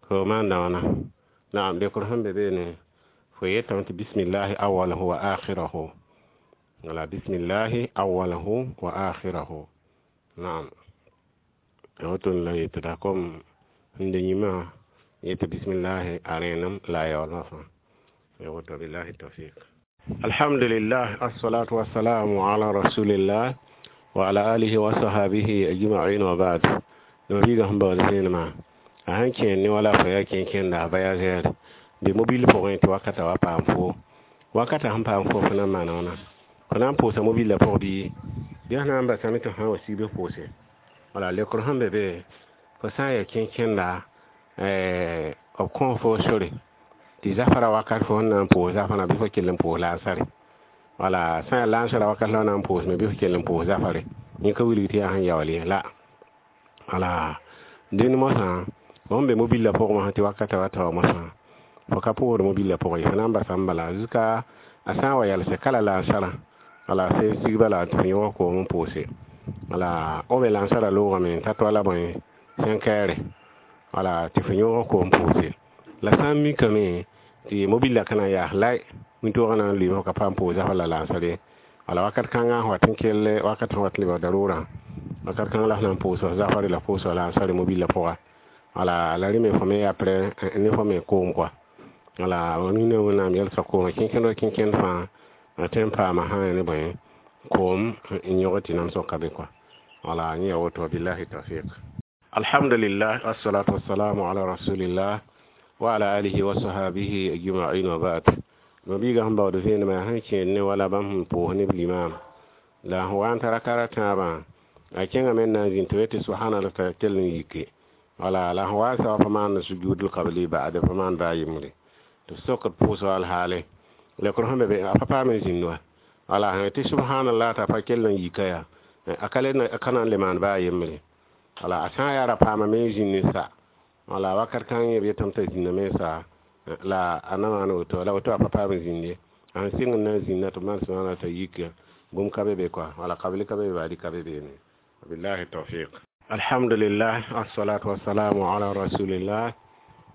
fo maanda wãna. Naam, lekr sẽn be beene fo yetame tɩ bismillahi awalahu wa akhirahu. Wala bismillahi awalahu wa akhirahu. Naam, woton la yetda kom sẽn de yĩmã yetɩ bismillahi a rẽenem la a yaoolmã fãa. Woto billahi tawfiq. Alhamdulillah, assalatu wassalamu ala rasulillah wa ala alihi wa sahabihi ajma'in wa ba'd. Dama biiga sẽn baood vẽenemã a sẽn kẽend ne wala fo yaa kẽn-kẽnda a voyageur be mobil pʋgẽ tɩ wakata wa paam fo wakata sẽn paam fo fo na n maana wãna fo na n pʋʋsa mobilã pʋg bɩ sẽn na n basame tɩ fo sã n wa sig bɩ pʋʋse. Wala lekr sẽn be be fo sã n yaa kẽn-kẽnda b kõ fo sore tɩ zafara wakat fo sẽn na n pʋʋs zafrã bɩ fo kell n pʋʋs lansare. Wala sã n yaa lansara wakat la na n pʋʋsme bɩ fo kell n pʋʋs zafare yẽ ka wilg tɩ yaa sẽn yaool ye la. Wala dẽnd mosã fo sẽn be mobilã pʋgẽ mosã tɩ wakata wa tao mosã fo ka pʋʋsd mobilã pʋgẽ ye fo na n basame bala jusqu'à a sã n wa yalse kala lansarã. Wala sẽn sig bala tɩ fo yõg koom n pʋʋse. Wala o me lansarã loogame t'a toa la bõe 5 heures. Wala tɩ fo yõg koom pʋʋse. La sã n mikame tɩ mobilã ka na n yaas lay wĩntoogã na n lʋɩɩme fo ka paam pʋʋs zafã la lansar ye. Wala wakat kãngã sẽn wat n kell wakat sẽn wat n lebg daroorã wakat kãng la f na n pʋʋs f zafare la pʋʋs lansare mobilã pʋga. Wala la rẽ me fo me après ne fo me koom kɔa. Wala rũnã wẽnnaam yɛlsga koomã kẽnkẽnd wa kẽnkẽnd fãa tõe n paama sã n ne bõe koom n yõg tɩ namsg ka be kɔa. Wala yẽ yaa woto billahi tawfiq. Alhamdulillah, wassalatu wassalamu ala rasulillah wa ala alihi wa sahabihi ajma'in wa ba'd. Ma biiga sẽn baood vẽenemã sẽn kẽed ne wala bãmb sẽn pʋʋs neb limam la sẽn wa n tara kara tãabã a kẽngame n na n zĩnd tɩ b tɩ subhanallah t'a kell n yike. Wala la sẽn wa n sa wa pa maan sujudul qabli ba'd pa maan baa yembre tɩ b sokd pʋʋsg alhaale lekr sẽn be be a pa paam n zĩnd wa. Wala sẽn tɩ subhanallah t'a pa kell n yika yaa a ka na n le maan baa yembre. Wala a sã n yaa ra paamame n zĩnd n sa. Wala wakat kãng yẽ b yetame t'a zĩndame n sa la a na maan woto la woto a pa paam n zĩnd ye a sẽn sɩng n na n zĩnda tɩ b maan subhanallah t'a yika bũmb ka be be kɔa. Wala qabli ka be be baadi ka be beene. Billahi tawfiq. Alhamdulillah, assalatu wassalamu ala rasulillah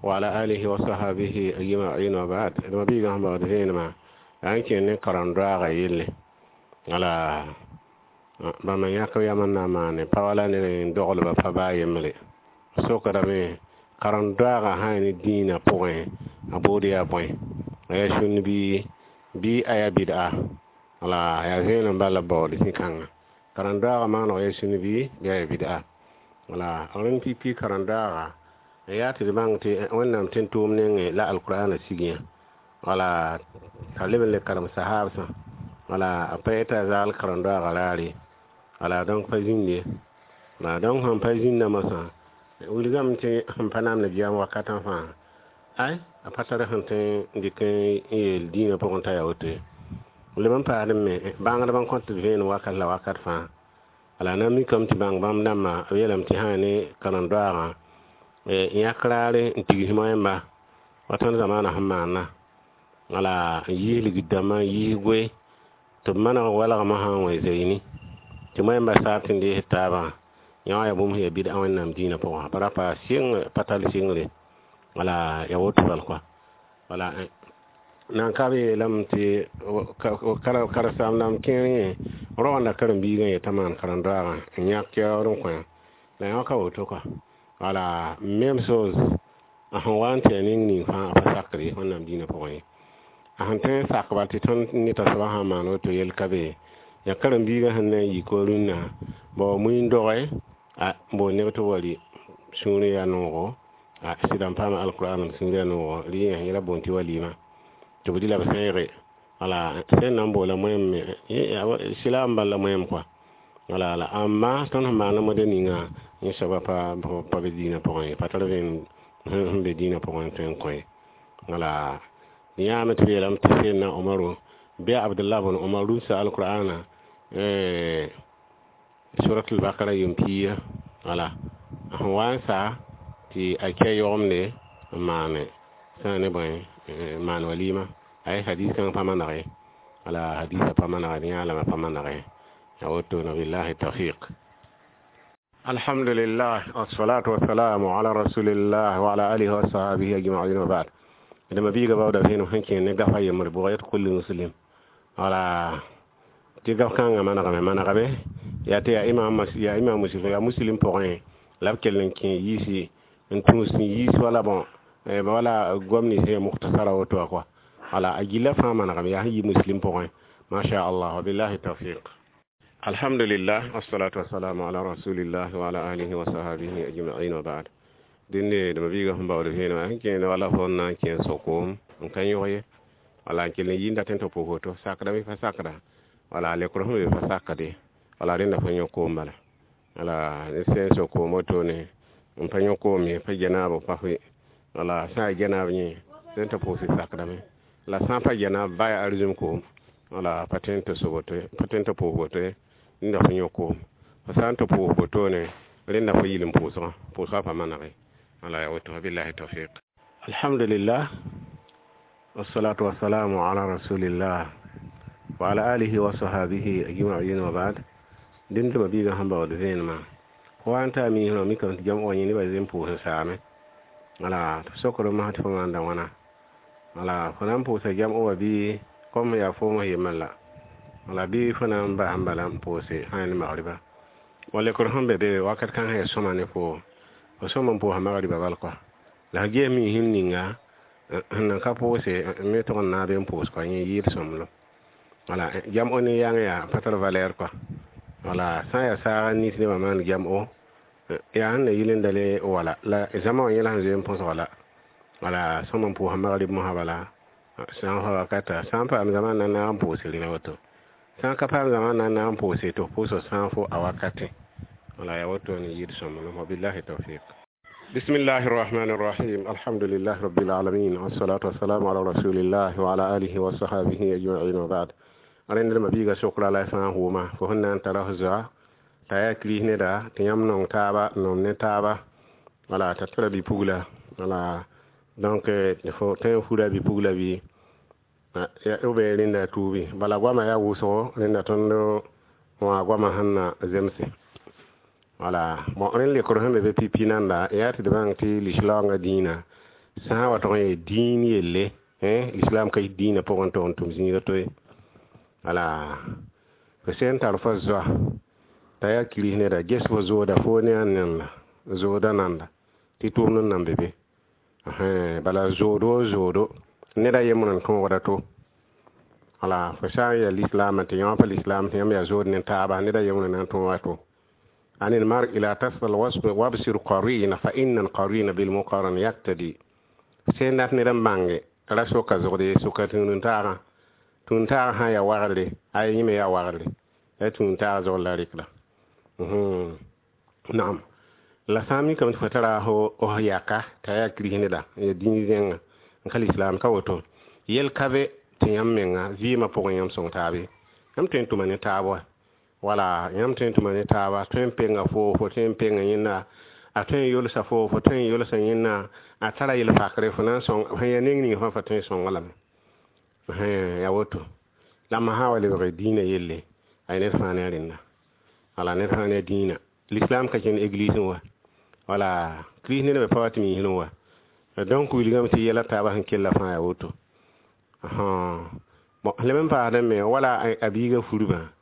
wa ala alihi wa sahabihi ajma'in wa ba'd. D ma biiga sẽn baood vẽenemã yaa n kẽnd ne karem-doaagã yelle. Wala bãmba yãk yam n na n maane pa wala ned n doglba pa baa yembre. Sokdame karen-doaagã sã n ne dĩinã pʋgẽ, a bood yaa bõe? A yaa sũnn bɩ a yaa bɩd'a? Wala yaa vẽenem bal la b baood zĩ-kãngã. Karen-doaagã maaneg yaa sũnn bɩ a yaa bɩd'a? Wala rẽnd pipi karen-doaaga n yaa tɩ d bãng tɩ Wẽnnaam tẽn-tʋʋm nengẽ la alkurãana sig yã. Wala t'a leb n le karem sahaabsã. Wala a pa yetɩ a zaal karen-doaagã raar ye. Wala donc pa zĩnd ye. Wala donc sẽn pa zĩnda moasã, wilgame tɩ sẽn pa namd goam wakatã fãa, ay a pa tar sẽn tõe n dɩk n yeel dĩinã pʋgẽ t'a yaa woto ye. Leb n paasd me bãngdb n kõt d vẽenem wakat la wakat fãa. Wala na n mikame tɩ bãng bãmb dãmbã b yeelame tɩ sã ne karen-doaagã yãk raare n tigs moẽmba wa tõnd zamaanã sẽn maana. Wala n yiis ligd-dãmbã, n yiis goe tɩ b maneg walgmã sã n wẽ zeyni tɩ moẽmbã saab tɩ n dees taabã. Yã wã yaa bũmb sẽn yaa bɩd'a Wẽnnaam dĩinã pʋgã. Bara pa sɩng pa tall sɩngre. Wala yaa woto bal kɔa. Wala nan ka b yeelame tɩ karen-saam-dãmb kẽer yẽ roagenda karen-biigã yetã maan karen-doaagã n yãk yaood n kõ la yã ka woto kɔa. Wala même chose a sẽn wa n tɩ yaa ning ning fãa a pa sakr ye Wẽnnaam dĩinã pʋgẽ ye. A sẽn tõe n sak bal tɩ tõnd ne t'a soaba sã n maan woto yell ka be yaa karen-biigã sẽn na n yik wa rũnnã bao mui n doge a bool neb tɩ b wa rɩ sũurẽ yaa noogo, a sɩda n paama alkurãan m sũur yaa noogo rɩ yẽ yẽla boond tɩ walima tɩ b dɩ la b sẽege. Wala sẽn na n boola moẽm me sɩla n bal la moẽm kɔa. Wala la amma tõnd sẽn maana model ninga yẽ soaba pa be dĩinã pʋgẽ ye, pa tar vẽenem sẽn be dĩinã pʋgẽ n tõe n kõ ye. Wala yãame tɩ b yeelame tɩ Seydna Omaru bɩ Abdullah bn Omar rũmsa alkurãana surat al-Bakara yem-piiga. Wala a sẽn wa n sa tɩ a kɛ yõgemde n maane sã ne bõe n maan walima. Ay hadis kãng pa maneg ye. Wala hadisã pa maneg ye, yã lame pa maneg ye. Ya woto na billahi tawfiq. Alhamdulillah, wassalatu wassalamu ala rasulillah wa ala alihi wa sahbihi ajma'in wa ba'd. Dama biiga bawda vẽenem sẽn kẽ ne gafa yembre bʋg yet kulli muslim. Wala tɩ gaf kãngã manegame manegame yaa tɩ yaa imam yaa imam muslim yaa muslim pʋgẽ la b kell n kẽ yiisi n tũus n yiis wala bõ wala goam nins yaa mukhtasara woto wã kɔa. Wala a gilla fãa manegame yaa sẽn yi muslim pʋgẽ. Masha Allah wa billahi tawfiq. Alhamdulillah, wassalatu wassalamu ala rasulillah wa ala alihi wa sahbihi ajma'in wa ba'd. Dẽnde dama biiga sẽn baood vẽenemã sẽn kẽene wala fo n na n kẽ sokoom n ka yõg ye. Wala n kell n yĩnda tẽn tɩ pʋʋs woto sakdame pa sakda. Wala lekr sẽn be pa sakde. Wala rẽnda fo yõ koom bala. Wala ne sẽn sok koom wotone n pa yõ koom ye, pa genaab pa fo. Wala sã n yaa genaab yẽ sẽn tɩ pʋʋs sakdame. La sã n pa genaab ba yaa arzũm koom. Wala pa tõe n tɩ so woto ye, pa tõe n tɩ pʋʋs woto ye, rẽnda fo yõ koom. Fo sã n tɩ pʋʋs wotone rẽnda fo yɩl n pʋʋsgã, pʋʋsgã pa maneg ye. Wala yaa woto billahi tawfiq. Alhamdulillah, wassalatu wassalamu ala rasulillah wa ala alihi wa sahbihi ajma'in wa ba'd. Dẽnd tɩ biiga sẽn baood vẽenemã fo wa n taa miisrã mikame tɩ jam wã yẽ nebã zem pʋʋs n saame. Wala tɩ sokd masã tɩ fo maanda wãna. Wala fo na n pʋʋsa jam wã bɩ kom yaa foom yembrã la. Wala bɩ fo na n bas n bala n pʋʋse sã ne magriba. Wa lekr sẽn be be wakat kãng sẽn yaa sõma ne foo, fo sõm n pʋʋsa magriba bal kɔa. La f ges miisem ninga sẽn nan ka pʋʋse me tʋg n naab n pʋʋs kɔa yẽ yɩɩd sõmblem. Wala jam ne yãng yaa pa tar valeur kɔa. Wala sã n yaa saag n nins nebã maan jam o yaa sẽn na yɩl n dale wala la zãma wã yẽla sẽn zoe n põsga la. Wala sõm n pʋʋsa magrib mosã bala sã n fa wakata sã n paam zãma n na naag n pʋʋse rẽna woto. Sã n ka paam zãma n na naag n pʋʋse tɩ f pʋʋsg sã n fo a wakatẽ. Wala yaa woto ne yɩɩd sõmblem. Wa billahi tawfiq. Bismillahi rahmani rahim. Alhamdulillahi rabbil alamin. Wassalatu wassalamu ala rasulillah wa ala alihi wa sahbihi ajma'in wa ba'd. Rẽnd dma biiga sokra la sã n hʋʋma fo sẽn na n tara f zoa t'a yaa kirist neda tɩ yãmb nong taaba nom ne taaba. Wala t'a tara bi-pugla. Wala donc fo tõe n fura bi-pugla bɩ ou bien rẽnda tuubi. Bala goamã yaa wʋsgo rẽnda tõnd wã goamã sẽn na zemse. Wala bon rẽnd lekr sẽn be be pipi nanda yaa tɩ d bãng tɩ lislaoongã dĩinã sã n wa tog n yee dĩin yelle, l'islam ka yit dĩinã pʋgẽ tog n tʋm zĩiga to ye. Wala Fo sẽn tar fo zoa t'a yaa kirist neda, ges fo zooda foo ne a nenda, zooda nanda tɩ tʋʋmd n nan be be. Bala zood woo zoodo, ned a yembr n tõogda to. Wala fo sã n yaa lislaamã tɩ yã wã pa lislaam tɩ yãmb yaa zood ne taaba, ned a yembr n na n tõoga to. عن المرء لا تسأل وابصر قرين فإن القرين بالمقارن يقتدي. Sẽn dat ned n bãnge ra soka zogd ye, soka tũud-n-taagã. Tũud-n-taagã sã n yaa wagre, ay yẽ me yaa wagre, la tũud-n-taag zogr la rɩkda. Naam, la sã n mikame tɩ fo tara f yaka t'a yaa kirist neda, n yaa dĩin zẽnga n ka lislaam ka woto, yel ka be tɩ yãmb menga vɩɩmã pʋgẽ yãmb sõng taab ye. Yãmb tõe n tʋma ne taab wa. Wala yãmb tõe n tʋma ne taaba, tõe n penga foo, fo tõe n penga yẽnda, a tõe n yolsa foo, fo tõe n yolsa yẽnda, a tara yel-pakre fo na n sõng, sẽn yaa neng ning fãa fo tõe n sõnga lame. Yaa woto. La mam sã n wa lebg dĩinã yelle, ay ned fãa ne a rẽnda. Wala ned fãa ne a dĩinã. L'islam ka kẽnd église wã. Wala kirist ned me pa wa tɩ misrẽ wã. Donc wilgame tɩ yɛla taabã sẽn kella fãa yaa woto. Bon, leb n paasdẽ me wala a biigã furbã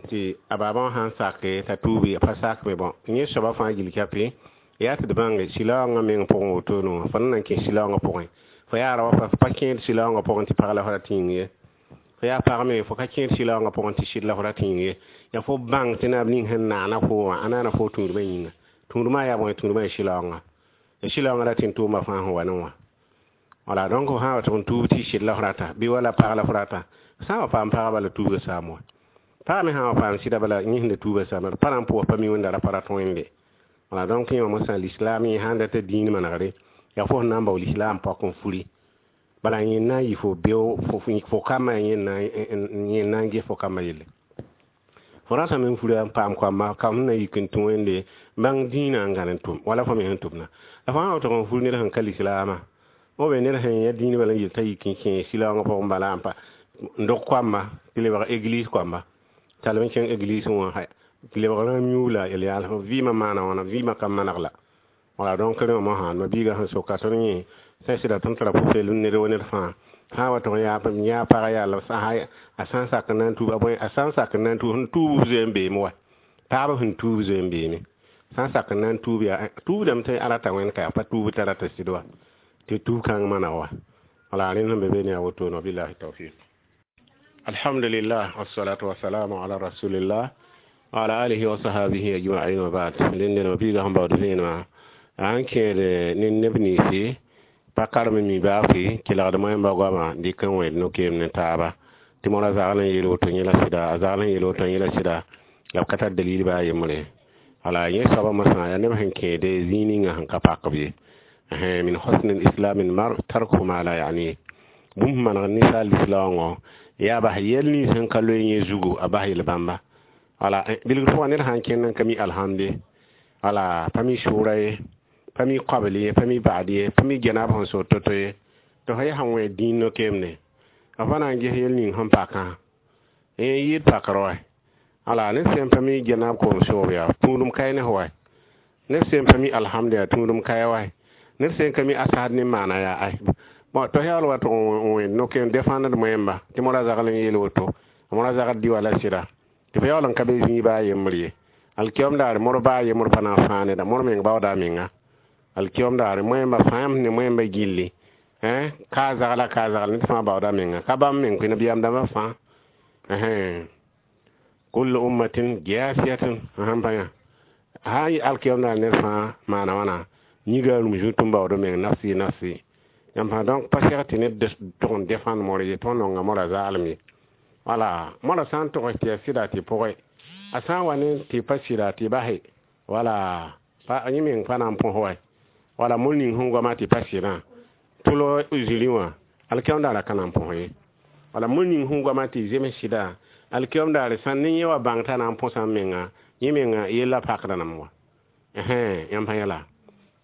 tɩ a baabã wã sãn sake t'a tuubi, a pa sak me. Bon, yẽ soabã fãa gill kape yaa tɩ d bãnge sɩlaoongã meng pʋgẽ wotone wã, fo na n kẽ sɩlaoongã pʋgẽ, fo yaa rao fo pa kẽed sɩlaoongã pʋgẽ tɩ pag la fo ra tɩ yĩng ye, fo yaa pag me fo ka kẽed sɩlaoongã pʋgẽ tɩ sɩd la fo ra tɩ yĩng ye. Yaa fo bãng tɩ naab ning sẽn naana fo wã, a naana fo tũudmã yĩnga. Tũudmã yaa bõe? Tũudmã yaa sɩlaoongã. Ya sɩlaoongã ra tɩ n tʋʋma fãa sẽn wa ne wã. Wala donc fo sã n wa tɩ n tuub tɩ sɩd la fo rata bɩ wala pag la fo rata, sã n wa paam pagã bala tuubga saam wa. Pagã me sã n wa paam sɩda bala yẽ sẽn da tuubã saama, pa na n pʋʋs pa mi wẽnda ra pa rat wẽnde. Wala donc yẽ wã mosã lislaam yẽ sãn dat dĩin manegre, yaa fo sẽn na n bao lislaam pɔk n furi. Bala yẽ na n yɩ fo beo fo kambã yẽ na n ges fo kambã yelle. Fo ratame n fura n paam koamba kam sẽn na yik n tũ wẽnde bãng dĩinã n gãn n tʋm wala fo me sẽn tʋmna. La fo sã n wa tʋg n fur ned sẽn ka lislaamã, b be ned sẽn yã dĩin bala n yel t'a yik n kẽ sɩlaoongã pʋgẽ bala n pa n dog koamba tɩ lebg église koamba, t'a leb n kẽng église wã tɩ lebg rãam yũub la yel-yaals vɩɩmã maana wãna, vɩɩmã ka maneg la. Wala donc rẽ wã mosã ma biigã sẽn soka tõnd yẽ sã sɩda tõnd tara pʋ-peelem ned wa ned fãa. Sã n wa tʋg n yã pagã yaa la a sã n sak n na n tuub a bõe, a sã n sak n na n tuub, sẽn tuub zoe n beeme wa. Taab sẽn tuub zoe n beeme. Sã n sak n na n tuub yaa tuubdame tɩ a rata wẽnd ka yaa pa tuub t'a rata sɩd wa, tɩ tuub kãng maneg wa. Wala rẽnd sẽn be be ne yaa wotone, wabillahi tawfiq. Alhamdulillah, wassalatu wassalamu ala rasulillah wa ala alihi wa sahabihi ajma'in wa ba'd. Rẽnd ma biigã sẽn baood vẽenemã a sẽn kẽed ne neb ninsi pa karem mi baafɩ kelgd moẽmba goamã dɩk n wẽed no-keem ne taaba tɩ mora zagl n yeel woto yẽ la sɩda, a zagl n yeel woto yẽ la sɩda, la b ka tar dalil baa yembre. Wala yẽ soabã mosã yaa neb sẽn kẽede zĩig ninga sẽn ka pak b ye. Min husn al-islam al-mar tarku ma la ya'ni. Bũmb maneg ninsaal lislaoongõ yaa bas yɛl nins sẽn ka loe yẽ zugu, a bas yel-bãmba. Wala bilgr pʋgã ned sã n kẽnd n ka mi alhamde, wala pa mi sʋʋra ye, pa mi kobl ye, pa mi ba'd ye, pa mi gɛnab sẽn so to-to ye, tɩ fo yaa sẽn wẽ dĩin no-keemde, f pa na n ges yel ning sẽn pakã yẽ yɩɩd pakr wa. Wala ned sẽn pa mi gɛnab koom soob yaa tũudum kae ne f wa, ned sẽn pa mi alhamde yaa tũudum kae wa, ned sẽn ka mi asad ne maana yaa ay. Bon, tɩ yaool wa tʋg n wẽnd no-keem défendre moẽmba tɩ mora zagl n yeel woto, mora zagl dɩ wala sɩda, tɩ fo yaool n ka be zĩig baa yembr ye. Alkiyom daare mor baa yembr pa na n fãa neda, mor meng baooda a menga. Alkiyom daare moẽmba fãa ne moẽmba gilli, ka zagla ka zagl ned fãa baooda a menga, ka bãmb meng koe nabiyaam dãmbã fãa. Kullu ummatin jaasiyatin sãn pa yã sã n yɩ alkiyom daare ned fãa maana wãna yĩnga rũm zũut n baood meng nafsi nafsi. Yãmb fãa donc pa seg tɩ ned tʋg n défendre mor ye, tɩ nonga mora zaalem ye. Wala mora sã n tʋgs tɩ yaa sɩda tɩ pʋgẽ, a sã n wa ne tɩ pa sɩda tɩ base, wala yẽ meng pa na n põs wa. Wala mor ning sẽn goama tɩ pa sɩdã tʋlg zĩrĩ wã, alkiyom daara ka na n põs ye. Wala mor ning sẽn goama tɩ zems sɩda, alkiyom daare sã ne yẽ wa bãng t'a na n põsa menga, yẽ menga yella pakda nam wa. Yãmb pa yɛla.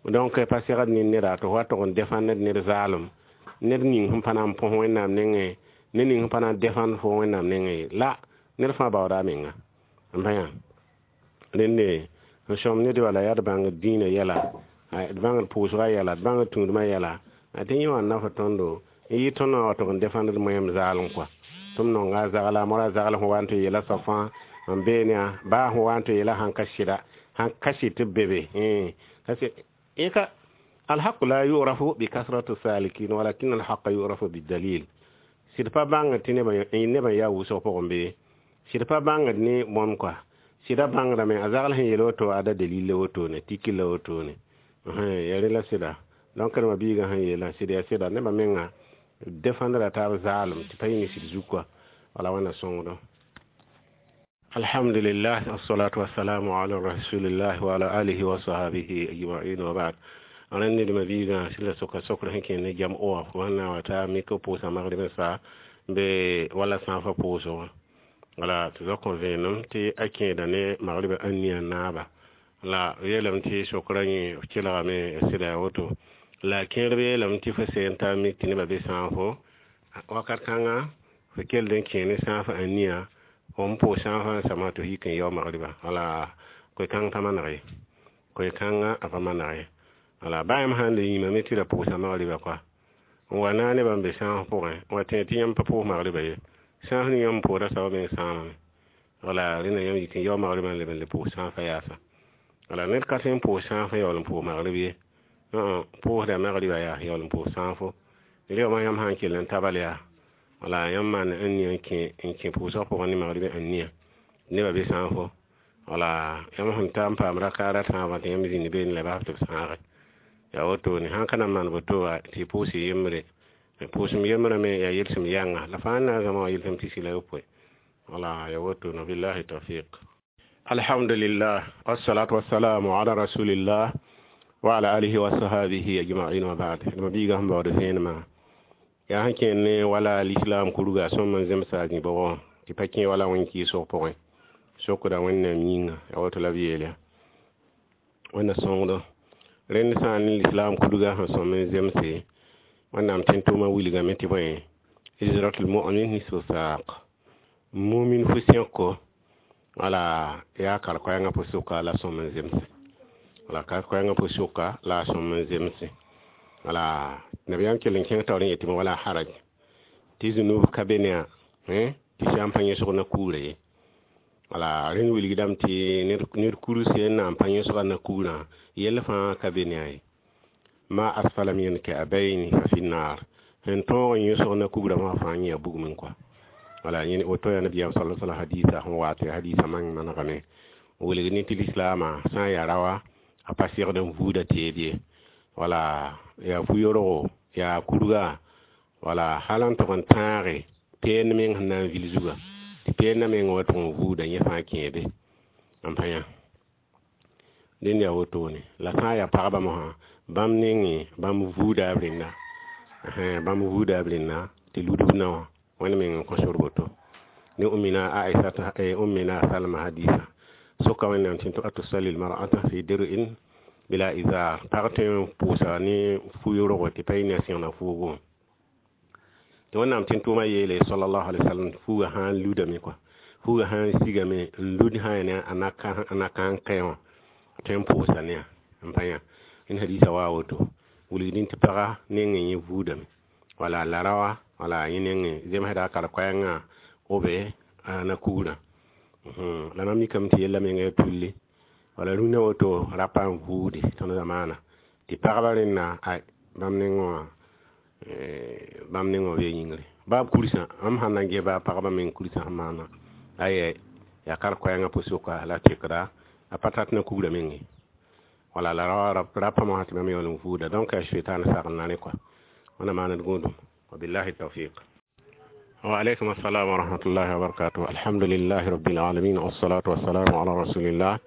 Donc pa segd ne neda tɩ f wa tʋg n défendre ned zaalem, ned ning sẽn pa na n põs wẽnnaam nengẽ, ned ning sẽn pa na n défendre fo wẽnnaam nengẽ ye. La ned fãa baooda a menga. N pa yã rẽnde n sõm ned wala yaa d bãngd dĩinã yɛla, d bãngd pʋʋsgã yɛla, d bãngd tũudmã yɛla, tɩ yẽ wã n na fo tõndo n yɩ tõnd wã wa tʋg n défendre moẽm zaalem kɔa. Tɩ m nonga a zagla mora zagl sẽn wa n tɩ yeela soab fãa n beene yã baa sẽn wa n tɩ yeela sãn ka sɩda sãn ka sɩd tɩ b be be ka الحق لا يعرف بكثرة السالكين ولكن الحق يعرف بالدليل. Sɩd pa bãngd tɩ nebã yaa wʋsg pʋgẽ bee sɩd pa bãngd ne bõn kɔa sɩda bãngdame a zagl sẽn yel woto ada dalil la wotone tiki la wotone ya rẽ la sɩda. Donc rẽmba biigã sẽn yeelã sɩd yaa sɩda nebã menga défendre taab zaalem tɩ pa yĩng sɩd zug kɔa wala wẽnna sõngdo. Alhamdulillah, wassalatu wassalamu ala rasulillah wa ala alihi wa sahbihi ajma'in wa ba'd. Rẽnd ned biigã sɩd la soka sokr sẽn kẽ ne jam wã wãnna wa t'a mik pʋʋsa magrib n sa be wala sãafã pʋʋsg wã wala tɩ zok n vẽenem tɩ a kẽeda ne magribã ãnia naaba la yeelame tɩ sokraã yẽ kelgame sɩda yaa woto la kẽerb yeelame tɩ fo seen t'a mik tɩ nebã be sãafo wakat kãnga fo kell n kẽ ne sãafã ãnia fo n pʋʋs sãafã n samã tɩ f yik n yao magriba wala koe-kãng pa maneg ye koe-kãngã a pa maneg ye wala baa yãmb sãn le yĩmame tɩ ra pʋʋsa magriba koa n wa naag nebã n be sãaf pʋgẽ n wa tẽeg tɩ yãmb pa pʋʋs magriba ye sãaf ning yãmb pʋʋda soaba meng sãamame wala rẽnda yãmb yik n yao magriba n leb n le pʋʋs sãafã yaasa wala ned ka tõe n pʋʋs sãafã yaool n pʋʋs magrib ye pʋʋsda magriba yaa yaool n pʋʋs sãafo reoogmã yãmb sã n kell n tabal yaa wala yãmb maan ãnia n kẽ pʋʋsg pʋgẽ ne magriba ãnia nebã be sãafo wala yãmb sẽn ta n paam rakaara tãabã tɩ yãmb zĩnd beene la bas tɩ b sãage yaa wotone sãn ka na n maan woto wa tɩ pʋʋs yembre pʋʋsem yembrã me yaa yelsem yãnga la fãa na n zãma wã yelsem tɩ sɩla yopoe wala ya wotone billahi tawfiq. Alhamdulillah, wassalatu wassalamu ala rasulillah wa ala alihi wa sahbihi ajma'in wa ba'd. Ma biiga sẽn baood vẽenemã yaa sẽn kẽer ne wala l'islam kurga sõm n zemsa a zĩ-bʋgẽ tɩ pa kẽ wala wẽn-kɩɩsg pʋgẽ sokda Wẽnnaam yĩnga yaa woto la b yeel ya Wẽnna sõngdo rẽnd sã n ne l'islam kurga sẽn sõm n zemse Wẽnnaam tẽn-tʋʋmã wilgame tɩ bõe hijratul mu'min nisfu saq mumin fu sẽko wala yaa kar-koɛɛngã pʋ-sʋka la sõm n zemse wala kar-koɛɛngã pʋ-sʋka la a sõm n zemse wala nabiyaam kell n kẽng taoor n yetɩ wala haraj tɩ zũnub ka be ne tɩ sã n pa yẽsg na kuurã ye wala rẽnd wilgdame tɩ ned kurse n na n pa yẽsga na kuurã yell fãa ka be ne a ye ma asfala min ka'bayni fa fi nnar sẽn tõog n yẽsg na kugrã wã fãa yẽ yaa bugmẽ kɔa wala yẽ woto yaa nabiyaam sala sallam hadisa sẽn wa tɩ hadisa mang manegame wilg ne tɩ lislaamã sã n yaa raoa a pa segd n vuuda teed ye wala yaa fu-yorgo yaa kurga wala hal n tʋg n tãage peen meng sẽn na n vil zuga tɩ peendã meng wa tʋg n vuuda yẽ fãa kẽebe n pa yã dẽnd yaa wotone la sã n yaa pagba mosã bãmb nengẽ bãmb vuuda b rẽnda bãmb vuuda b rẽnda tɩ ludb naowã Wẽnd meng n kõ sor woto ne ummina Aisata ummina Salma hadisa soka Wẽnnaam tɩ atusalli lmar'ata fi dir'in bila izar pag tõe n pʋʋsa ne fu-yorgo tɩ pa yɩ ne a sẽgna fuugu tɩ Wẽnnaam tẽn-tʋʋmã yeele sallallahu alaihi wasallam fuugã sã n ludame kɔa fuugã sã n sigame n lud sã ya ne a na n kẽ wã tõe n pʋʋsa ne n pa yã n hadisa wa woto wilgdẽ tɩ paga nengẽ yẽ vuudame wala la raoa wala yẽ nengẽ zemsda a kar-koɛɛngã obe na kugrã la mam mikame tɩ yella menga ya tulli wala rũnã woto rapa n vuude tõnd zamaana tɩ pagba rẽnna ay bãmb nengẽ wã bãmb nengẽ wã bee yĩngre baa b kursã mam sãn na n ges baa pagba meng kursã sẽn maana ayɛ yaa kar-koɛɛngã pʋ-sʋka la tekda a pa tat na kugrã menge wala la rapa mosã tɩ bãmb yaool n vuuda donc yaa sʋɩtaan sagl na rẽ kɔa wẽnna maand gũudum. Wabillahi tawfiq. وعليكم السلام ورحمة الله وبركاته. الحمد لله رب العالمين والصلاة والسلام على رسول الله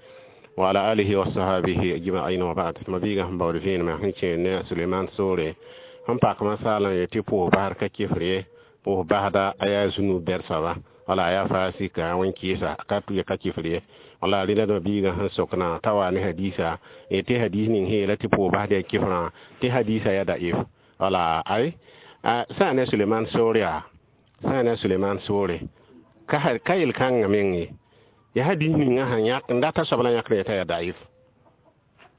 وعلى آله وصحبه أجمعين وبعد. ما بيغا هم بورفين ما هنچه ne Suleiman Sore han pak masala ye ti po bahar ka kifre po bahada aya zunu bersa wala aya fasika wan kisa ka tu ka kifre wala rida do biga han sokna tawa ne hadisa e te hadis ning he la ti po bahada kifra te hadisa ya da if wala ai sa ne Suleiman Sore a sã ne Suleiman Sore ka yel kãngã meng ye ya hadis ninga sẽn yãk n data soab la yãkd yetã yaa daif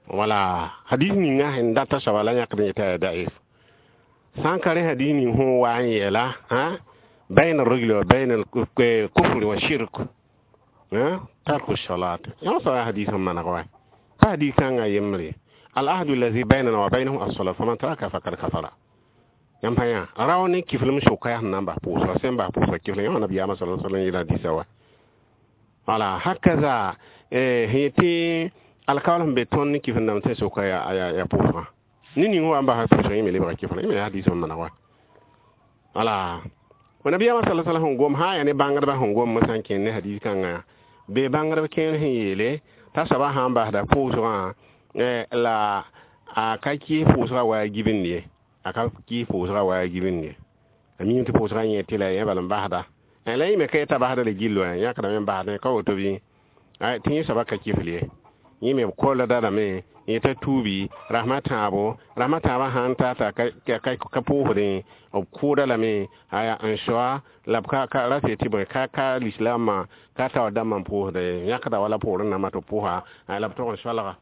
wala hadis ninga sẽn data soaba la yãkd yetã yaa daif sã n ka rẽ hadis ning sẽn wa n yeela Bayna ar-rajuli wa bayna al-kufri wa shirk tarku salat. Yã sa hadis sẽn maneg wa pa hadis kãngã yembre al-ahdu allazi baynana wa baynahum as-salat faman taraka faqad kafara. Yãmb pa yã rao ne kiflem sʋka yaa sẽn na n bas pʋʋsga sẽn bas pʋʋsga kiflem yã wã nabiyaamã sala sallam yeela hadisa wa. Wala hakaza sẽn yetɩ alkaool sẽn be tõnd ne kifl dãmb tɩ sʋka yaa pʋʋsgã ne ning wa n basa pʋʋsg yẽ me lebga kiflem yẽ me yaa hadis sẽn maneg wa. Wala nabiyaamã sala sallam sẽn gom sã n yaa ne bãngdbã sẽn gom sã n kẽnd ne hadis kãngã be bãngdb kẽer sẽn yeele t'a soabã sã n basda pʋʋsgã la a ka kɩɩs pʋʋsgã wa a gibind ye a ka kɩɩs pʋʋsgã wa a gibind ye a miime tɩ pʋʋsgã yẽ tɩ la yẽ bal n basda la yẽ me ka yeta basda la gill wa yãkdame n basdẽ ka woto bɩ tɩ yẽ soabã ka kifl ye yẽ me b kolda lame yẽ t'a tuubi rasmã tãabo rasmã tãabã sãn ta t'a ka pʋʋsdẽ b kʋʋda lame aya n soa la b ka ra tɩ bõe ka lislaamã ka taoor dãmbã n pʋʋsda ye yãkda wala poorẽ nambã tɩ b pʋʋsa la b tog n soalga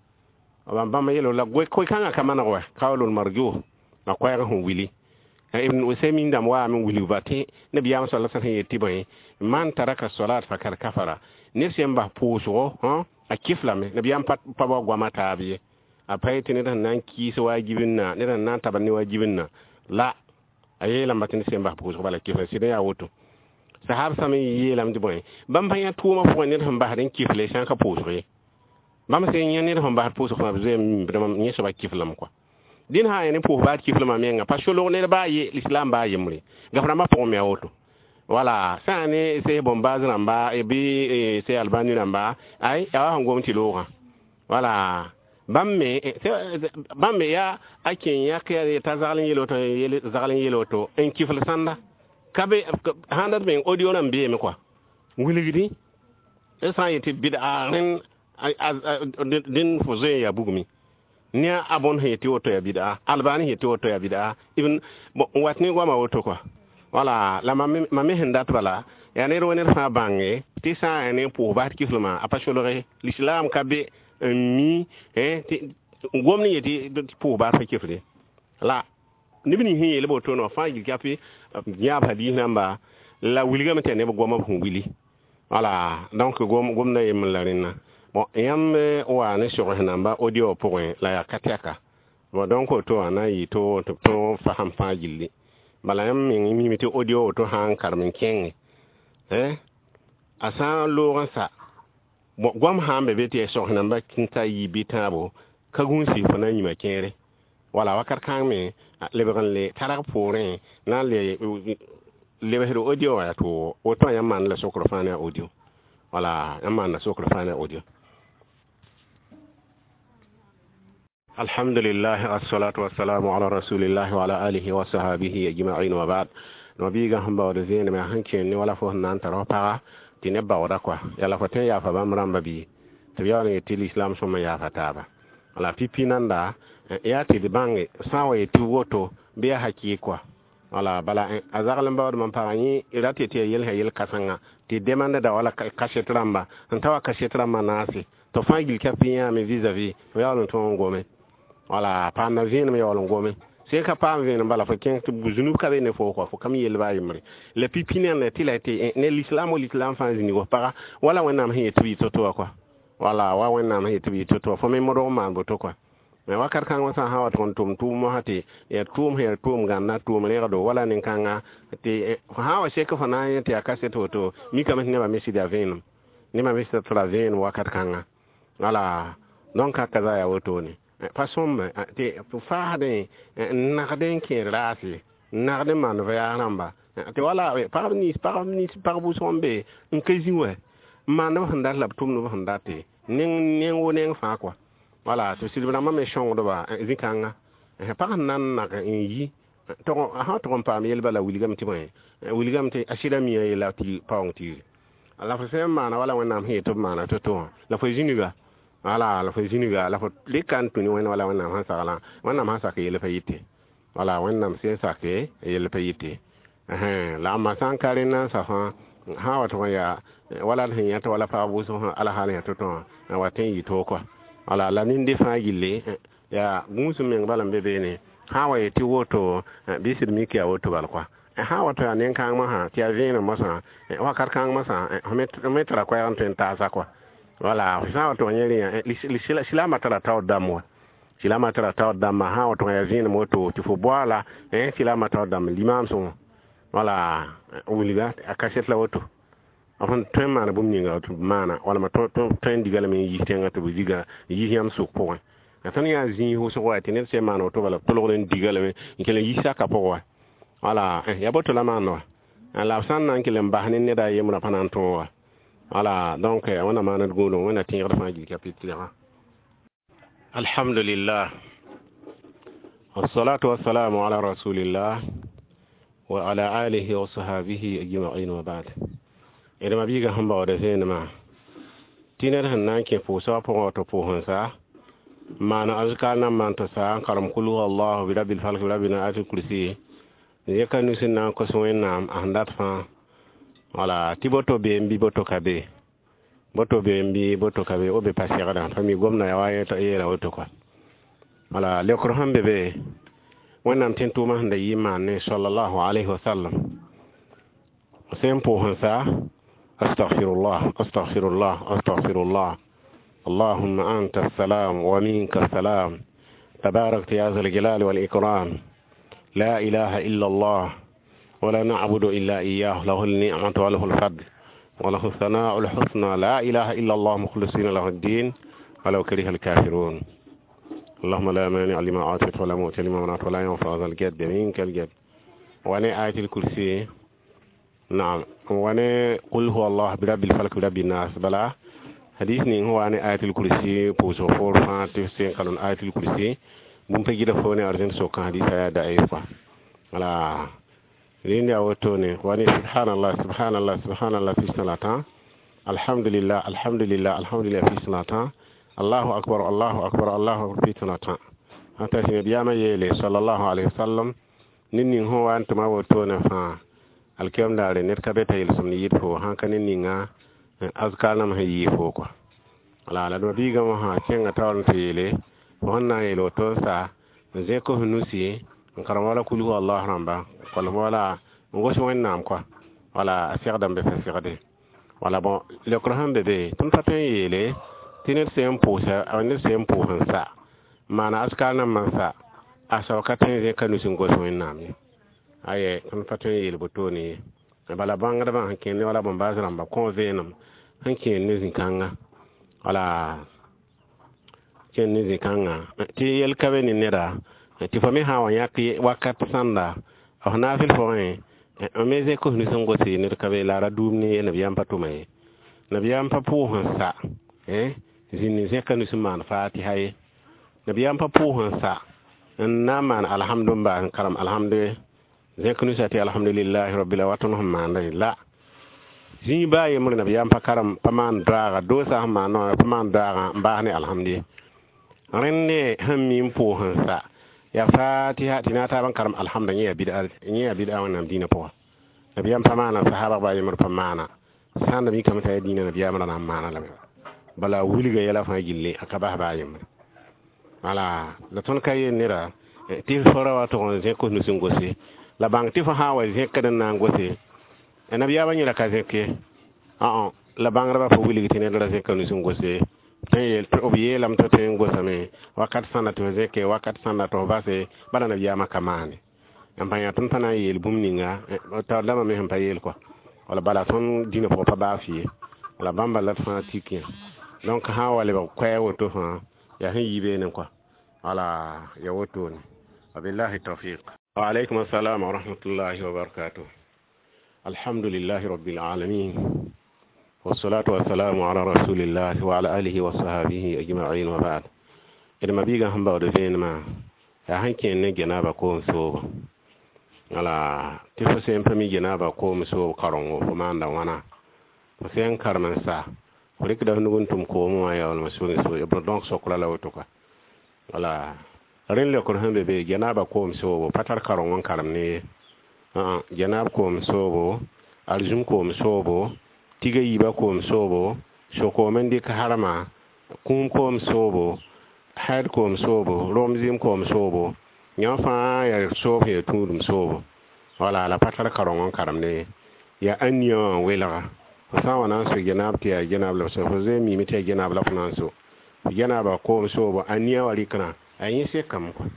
bãmb yeelo la koe-kãngã ka maneg wa kaoolul marjuh la koɛɛg sẽn wili Ibn Usaymin dãmb waame n wilg ba tɩ nabiyaam sala sẽn yet tɩ bõe man taraka salat fakad kafara ned sẽn bas pʋʋsgo a kiflame nabiyaam pa wa goama taab ye a pa yetɩ ned sẽn na n kɩɩs wa a gibinna ned sẽn na n tabd ne wa a gibinna la a yeelame tɩ ned sẽn bas pʋʋsg bala kifla sɩd n yaa woto sahab sã me yeelame tɩ bõe bãmb pa yã tʋʋmã pʋgẽ ned sẽn basd n kifle sã n ka pʋʋsg ye bãmb sẽn yã ned sẽn basd pʋʋsg fãa b zoeem yẽ soaba kiflame kɔa dẽn sã n yaa ne pʋʋs baad kiflmã menga pa solg ned baa ye l'islam baa yembre gaf rãmbã pʋgẽ me a woto wala sã n ne sẽs bõn-baas rãmba bɩ sẽs albani rãmba ay yaa wa sẽn gom tɩ loogã wala bãmb me yaa a kẽ yãk t'a zagl n yel woto zagl n yel woto n kifl sãnda ka be sãn dat meng audio rãmb beeme kɔa wilgdi d sã n yetɩ bɩda rẽnd dẽn fo zoe n yaa bugmi ne a bõn sẽn yetɩ woto yaa bɩda albani sẽn yetɩ woto yaa bɩda ibn bon n wat ne goamã woto kɔa wala la mam me sẽn dat bala yaa ned wa ned fãa bãnge tɩ sã n yaa ne pʋʋs bas kiflmã a pa solge l'islam ka be n mi tɩ gom ne yetɩ pʋʋs baas pa kifle la neb nins sẽn yeel woto wã fãa gil kape yãab hadis namba la wilgame tɩ yaa neb goamã b sẽn wili wala donc gomda yembr la rẽnna bon yãmb wa ne sogs namba audio pʋgẽ la yaa ka tɛka bon donc woto wã na n yɩ tɩ b tõog fasem fãa gilli bala yãmb meng mime tɩ audio woto sã n karem n kẽnge a sã n loog n sa bon goam sã n be be tɩ yaa sogs namba n ta yi bɩ tãabo ka gũusi fo na n yĩma kẽere wala wakat kãng me lebg n le targ poorẽ na n le lebsd audio wã yaa tʋʋgo woto wã yãmb maan la sokr fãa ne a audio wala yãmb maanda sokr fãa ne a audio. Alhamdulillah assalatu wassalamu ala rasulillah wa ala alihi wa sahabihi ajma'in wa ba'd. Nabiga sẽn baood vẽenem yaa sẽn kẽen ne wala fo sẽn na n tar f paga tɩ neb baooda kɔa yaa la fo tõe n yaafa bãmb rãmba bɩ tɩ b yaool n yet tɩ l'islam sõm n yaafa taaba wala pipi nanda yaa tɩ d bãnge sã n wa yetɩ woto bɩ yaa hakɩɩk kɔa wala bala a zagl n baood mam pagã yẽ rat yetɩ yaa yel sã yel kãsengã tɩ demandda wala kaset rãmba sẽn ta wa kaset rãmbã naase tɩ fãa gil ka pɩ yãame vis-à-vis fo yaool n tõog n gome wala paamda vẽenem yaool n gome sẽn ka paam vẽenem bala fo kẽng tɩ zunub ka be ne fo kɔa fo kam yell baa yembre la pipi nenda tɩ la tɩ ne l'islam wa l'islam fãa zĩnig f paga wala wẽnnaam sẽn yet tɩ b yɩ to-to wã kɔa wala wa wẽnnaam sẽn yet tɩ b yɩ to-to wã fo me modg n maan boto kɔa mais wakat kãng sã n wa tʋg n tʋm tʋʋm mosã tɩ yaa tʋʋm sẽn yaa tʋʋm gãnna tʋʋm rẽgdo wala nin-kãnga tɩ sã n wa sek fo na n yẽ tɩ yaa kaset woto mikame tɩ nebã me sɩd yaa vẽenem nebã me sɩd tɩ ra vẽenem wakat kãnga wala donc a kaza yaa wotone pa sõmbe tɩ faasdẽ n nagd n kẽer raase n nagd n maan voyage rãmba tɩ wala pagb nins pag wʋsg n be n ka zĩ wɛ n maand b sẽn dat la b tʋmd b sẽn date neng wo neng fãa kɔa wala tɩ sɩdb rãmbã me sõngdba zĩ-kãnga pag sẽn na n nag n yi sã tʋg n paam yel bala wilgame tɩ bõe wilgame tɩ a sɩda mia yella tɩ paoong tiiri la fo sẽn maana wala wẽnnaam sẽn yet tɩ b maana to-to wã la fo zĩniga wala la fo zĩniga la fo rɩka n tũ ne wẽnd wala wẽnnaam sẽn saglã wẽnnaam sẽn sak yell pa yɩte wala wẽnnaam sẽn sake yell pa yɩte la ãmba sã n ka rẽnd n sa fãa sã n wa tʋg n yaa wala d sẽn yãt wala pagb wʋsg sã alhaal yã to-to wã wa tõe n yɩ toog kɔa wala la ninde fãa gilli yaa gũus meng bala n be beene sã n wa yetɩ woto bɩ sɩd mik yaa woto bal kɔa Sã wa tɩ yaa nen-kãng mosã tɩ yaa vẽenem mosã, wakat kãng mosã f me tara koɛɛg n tõe n taasa kɔa. Wala f sã n wa tɩ yẽ rẽ, silaamã tara taoor dãmb wa, silaamã tara taoor dãmbã. Sã n wa tɩ yaa vẽenem woto tɩ fo boaala, silaamã taoor dãmb limaamsẽ wã, wala wilga a kaset la woto. B sẽn tõe n maana bũmb ninga tɩ b maana, walma tõe n diga lame n yis tẽngã tɩ b diga n yis yãmb sʋk pʋgẽ. La tõnd yaa zĩig wʋsg wa, tɩ ned sẽn maan woto bala b tolgd n diga lame n kell n yis saka pʋgẽ wa. Wala ya boto la maand wa, la b sã n na n kell n bas ne ned a yembrã pa na n tõog wa. Wala donc wẽnna maan d gũudum, wẽnna tẽegd fãa gil chapitre. Alhamdulillah, wassalatu wassalamu ala rasulillah wa ala alihi wa sahabihi ajma'in wa ba'd. D ma biiga sẽn baood vẽenemã tɩ ned sẽn na n kẽ pʋʋsgã pʋgẽ tɩ pʋʋs n sa maan azkar nan maan tɩ sa n karem kul huwa allahu bi rabbil falk bi rabbil ayatul kursi, zẽka nus n na n kos Wẽnnaam a sẽn dat fãa. Wala tɩ boto be n bɩ boto ka be, boto be n bɩ boto ka be, o be pa segdã pa mi gomda ya wa yeela woto kɔa. Wala leokr sẽn be be, Wẽnnaam tẽn tʋʋmã sẽn da yɩ n maan ne sallallahu alayhi wa sallam, sẽn pʋʋs n sa astaghfirullah, astaghfirullah, astaghfirullah, allahumma anta assalam wa minka assalam, tabarakta ya zal jalali wal ikram, la ilaha illa allah ولا نعبد إلا إياه، له النعمة وله الفضل وله الثناء الحسنى، لا إله إلا الله مخلصين له الدين ولو كره الكافرون، اللهم لا مانع لما أعطيت ولا معطي لما منعت ولا ينفع ذا الجد منك الجد. وانا آية الكرسي، نعم، وانا قل هو الله برب الفلك برب الناس. بلا حديث نين هو أنا آية الكرسي بوزو فور فان تفسين قالون آية الكرسي بوم تجد فوني أرجن سوكان حديث آية ضعيفة. ولا rẽnd yaa wotone wa ne subhanallah, subhanallah, subhanallah fi salata, alhamdulillah, alhamdulillah, alhamdulillah fi salata, allahu akbar, allahu akbar, allahu akbar fi salata. Ata sẽn nabiyaamã yeele sallallahu alaihi wasallam, ned ning sẽn wa n tʋma wotone fãa, alkiyam daare ned ka be t'a yelsem ne yɩd fo sãn ka ned ninga azkar nam sẽn yɩɩ fo kɔa. Wala la d ma-biigã wã sã kẽnga taoor n tɩ yeele fo sẽn na n yeel woto n sa n zẽk f nusi n karem wala kul huwa allah rãmba kolem wala n gos Wẽnnaam kɔa. Wala a segdame be pa segde. Wala bõn leokr sẽn be be, tõnd pa tõe n yeele tɩ ned sẽn pʋʋsa, ned sẽn pʋʋs n sa maana askar nambã n sa a soab ka tõe n zẽka nus n gos Wẽnnaam ye. Aye, tõnd pa tõe n yeel wotone ye. Bala bãngdbã sẽn kẽnd wala bõn-baas rãmba kõ vẽenem sẽn kẽend ne zĩ-kãnga, wala kẽnd ne zĩ-kãngã tɩ yel ka be ne neda tɩ fo me sã n wa yãk wakat sãnda f naafɩl pʋgẽ m me zẽk f nus n gose ned ka be la ra duum ne ye. Nabiyaam pa tʋma ye, nabiyaam pa pʋʋs n sa zĩnd n zẽka nus n maan fatiha ye. Nabiyaam pa pʋʋs n sa n na n maan alhamdu n baas n karem alhamdu ye, zẽk nusa tɩ alhamdulillahi rabbil wat tõnd sẽn maanda ye la zĩig baa yembre. Nabiyaam pa karem, pa maan doaaga doosa sẽn maan pa maan doaagã n baas ne alhamdu ye. Rẽnd ne sẽn mi n pʋʋs n sa ya fatiha tɩ na taab n karem alhamda, yẽ yaa bid'a, yẽ yaa bid'a Wẽnnaam dĩinã pʋga. Nabiyaam pa maana, sahaba baa yembr pa maana. Sãn da mikame t'a yaa dĩinã nabiyaam ra na n maana lame, bala wilga yɛla fãa gilli a ka bas baa yembre. Wala la tõnd ka yel neda tɩ fo ra wa tʋg n zẽk f nus n gose la bãng tɩ fo sã n wa zẽkd n na n gose nabiyaamã yẽla ka zẽk ye. La bãngdbã pa wilg tɩ ned ra zẽka nus n gose. Tõe b yeelame tɩ tõe n gosame wakat sãnda tɩ fo zẽke, wakat sãnda tɩ fo base, bala nabiyaamã ka maane. N pa yã tõnd pa na n yeel bũmb ninga taoor dãmbã me sẽn pa yeel kɔa. Wala bala tõnd dĩnã pʋgã pa baa fɩ ye, wala bãmba la d fãa tik yã. Donc sã n wa lebg koɛɛg woto fãa yaa sẽn yi beene kɔa. Wala ya wotone. Wabillahi tawfiq. Wa alaykum assalam wa rahmatullahi wa barakatuh. Alhamdulillahi rabbil alamin, والصلاة والسلام على رسول الله وعلى آله وصحبه أجمعين وبعد. D ma biigã sẽn baood vẽenemã yaa sẽn kẽend ne genaaba koom soobo. Wala tɩ fo sẽn pa mi genaaba koom soob karengo, fo maanda wãna? Fo sẽn karem n sa, fo rɩkda f nug n tʋm koomẽ wã yaoolmã sug n soog donc sokra la woto kɔa. Wala rẽnd leokr sẽn be be, genaaba koom soobo pa tar karengo n karem ne ye. Genaab koom soobo, arzũm koom soobo, tiga yiibã koom soobo, so-koom n dɩk harma, kũum koom soobo, haid koom soobo, rom zɩɩm koom soobo, yã fãa yaa soob sẽn yaa tũudum soobo. Wala la pa tar kareng n karemde ye. Yaa ãnia wã n welga. Fo sã n wa na n so genaab tɩ yaa genaab la f so, fo zoe n miime tɩ yaa genaab la fo na n so. Fo genaabã koom soobo ãnia wã rɩknã, a yẽ sekame kɔa.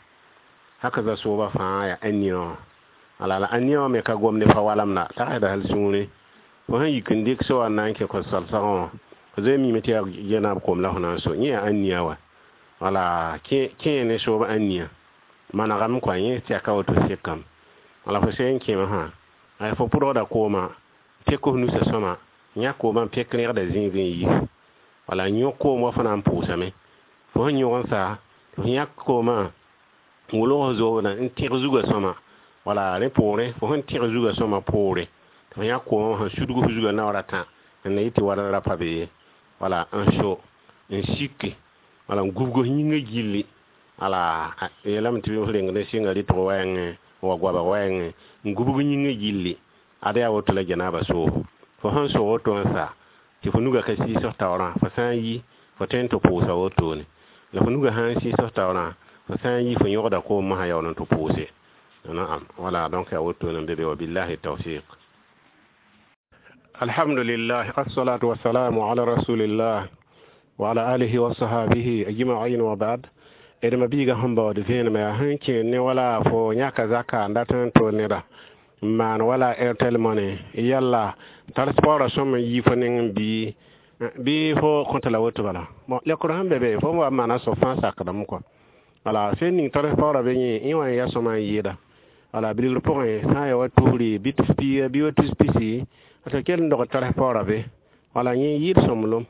Haka za sooba fãa yaa ãnia wã. Wala la ãnia wã me ka gomde fa walamda, tagsda hal sũurẽ. Fo sẽn yik n dɩk so wã n na n kẽ kõ-salsgẽ wã, fo zoe n miime tɩ yaa genaab koom la fo na n so. Yẽ yaa ãnia wa. Wala kẽ ne soob ãnia manegame kɔa, yẽ tɛka woto sekame. Wala fo sẽn kẽ wã sã, fo pʋdgda koomã, pek f nusã sõma, yãk koomã n pek rẽgda zĩigẽ n yi. Wala yõk koom wa fo na n pʋʋsame. Fo sẽn yõg n sa, fo yãk koomã n wolg f zoobdã n tẽg zugã sõma. Wala rẽ poorẽ, fo sẽn tẽg zugã sõma poore, tɩ fo yãk koomã sẽn sudg f zugã naoor a tã n na yɩ tɩ wala ra pa be ye. Wala n so, n siki, wala n gubg f yĩngã gilli. Wala yeelame tɩ f reng ne sɩnga rɩtg wɛɛngẽ, wa goabg wɛɛngẽ, n gubg yĩngã gilli. Ad yaa woto la genaabã soobo. Fo sẽn so woto n sa, tɩ fo nugã ka sɩɩs f taoorã, fo sã n yi, fo tõe n tɩ pʋʋsa wotone. La fo nugã sã n sɩɩs f taoorã, fo sã n yi, fo yõgda koom mosã yaool n tɩ pʋʋse. Naam, wala donc yaa wotone n be be, wa billahi tawfiq. Alhamdulillah, assalatu wassalamu ala rasulillah wa ala alihi wa sahabihi ajma'in wa ba'd. D ma-biigã sẽn baood vẽenemã yaa sẽn kẽer ne wala fo yãka zaka n dat n tol neda n maan wala Airtel Money yalla tars paoorã sõm n yi fo nengẽ bɩ fo kõta la woto bala. Bon, lekr sẽn be be fo wa n maana soab fãa sakdame kɔa. Wala sẽn ning tars paoorã be yẽ, yẽ wã n yaa sõma n yɩɩda. Wala bilgr pʋgẽ sã n ya wa tusri bɩ tus piiga bɩ wa tus pisi, tɩ kell n dog tars paoorã be. Wala yẽ yɩɩd sõmblem.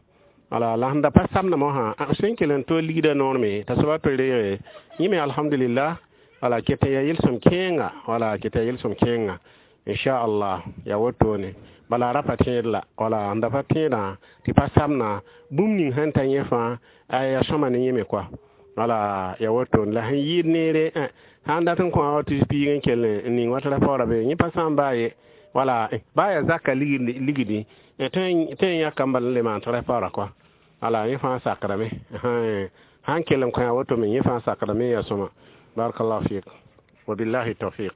Wala la sẽn da pa samdã mosã, sẽn kell n tol ligdã noor me t'a soaba to reege yẽ me, alhamdulillah. Wala ket n yaa yel-sõm kẽenga, wala ket yaa yel-sõm kẽenga, inchallah, yaa wotone. Bala ra pa tẽed la, wala sẽn da pa tẽedã tɩ pa samna bũmb ning sẽn ta yẽ fãa a yaa sõma ne yẽ me kɔa. Wala yaa wotone la sẽn yɩɩd neere, sã n dat n kõ wa tus piig n kell n ning wa tɩ paoorã be, yẽ pa sãam baa ye. Wala baa yaa zaka ligdi tõe n yãkame bala n le maan tɩ paoorã kɔa. Wala yẽ fãa sakdame. Sãn kell n kõ woto me, yẽ fãa sakdame, yaa sõma. Barakallahu fik wa billahi tawfiq.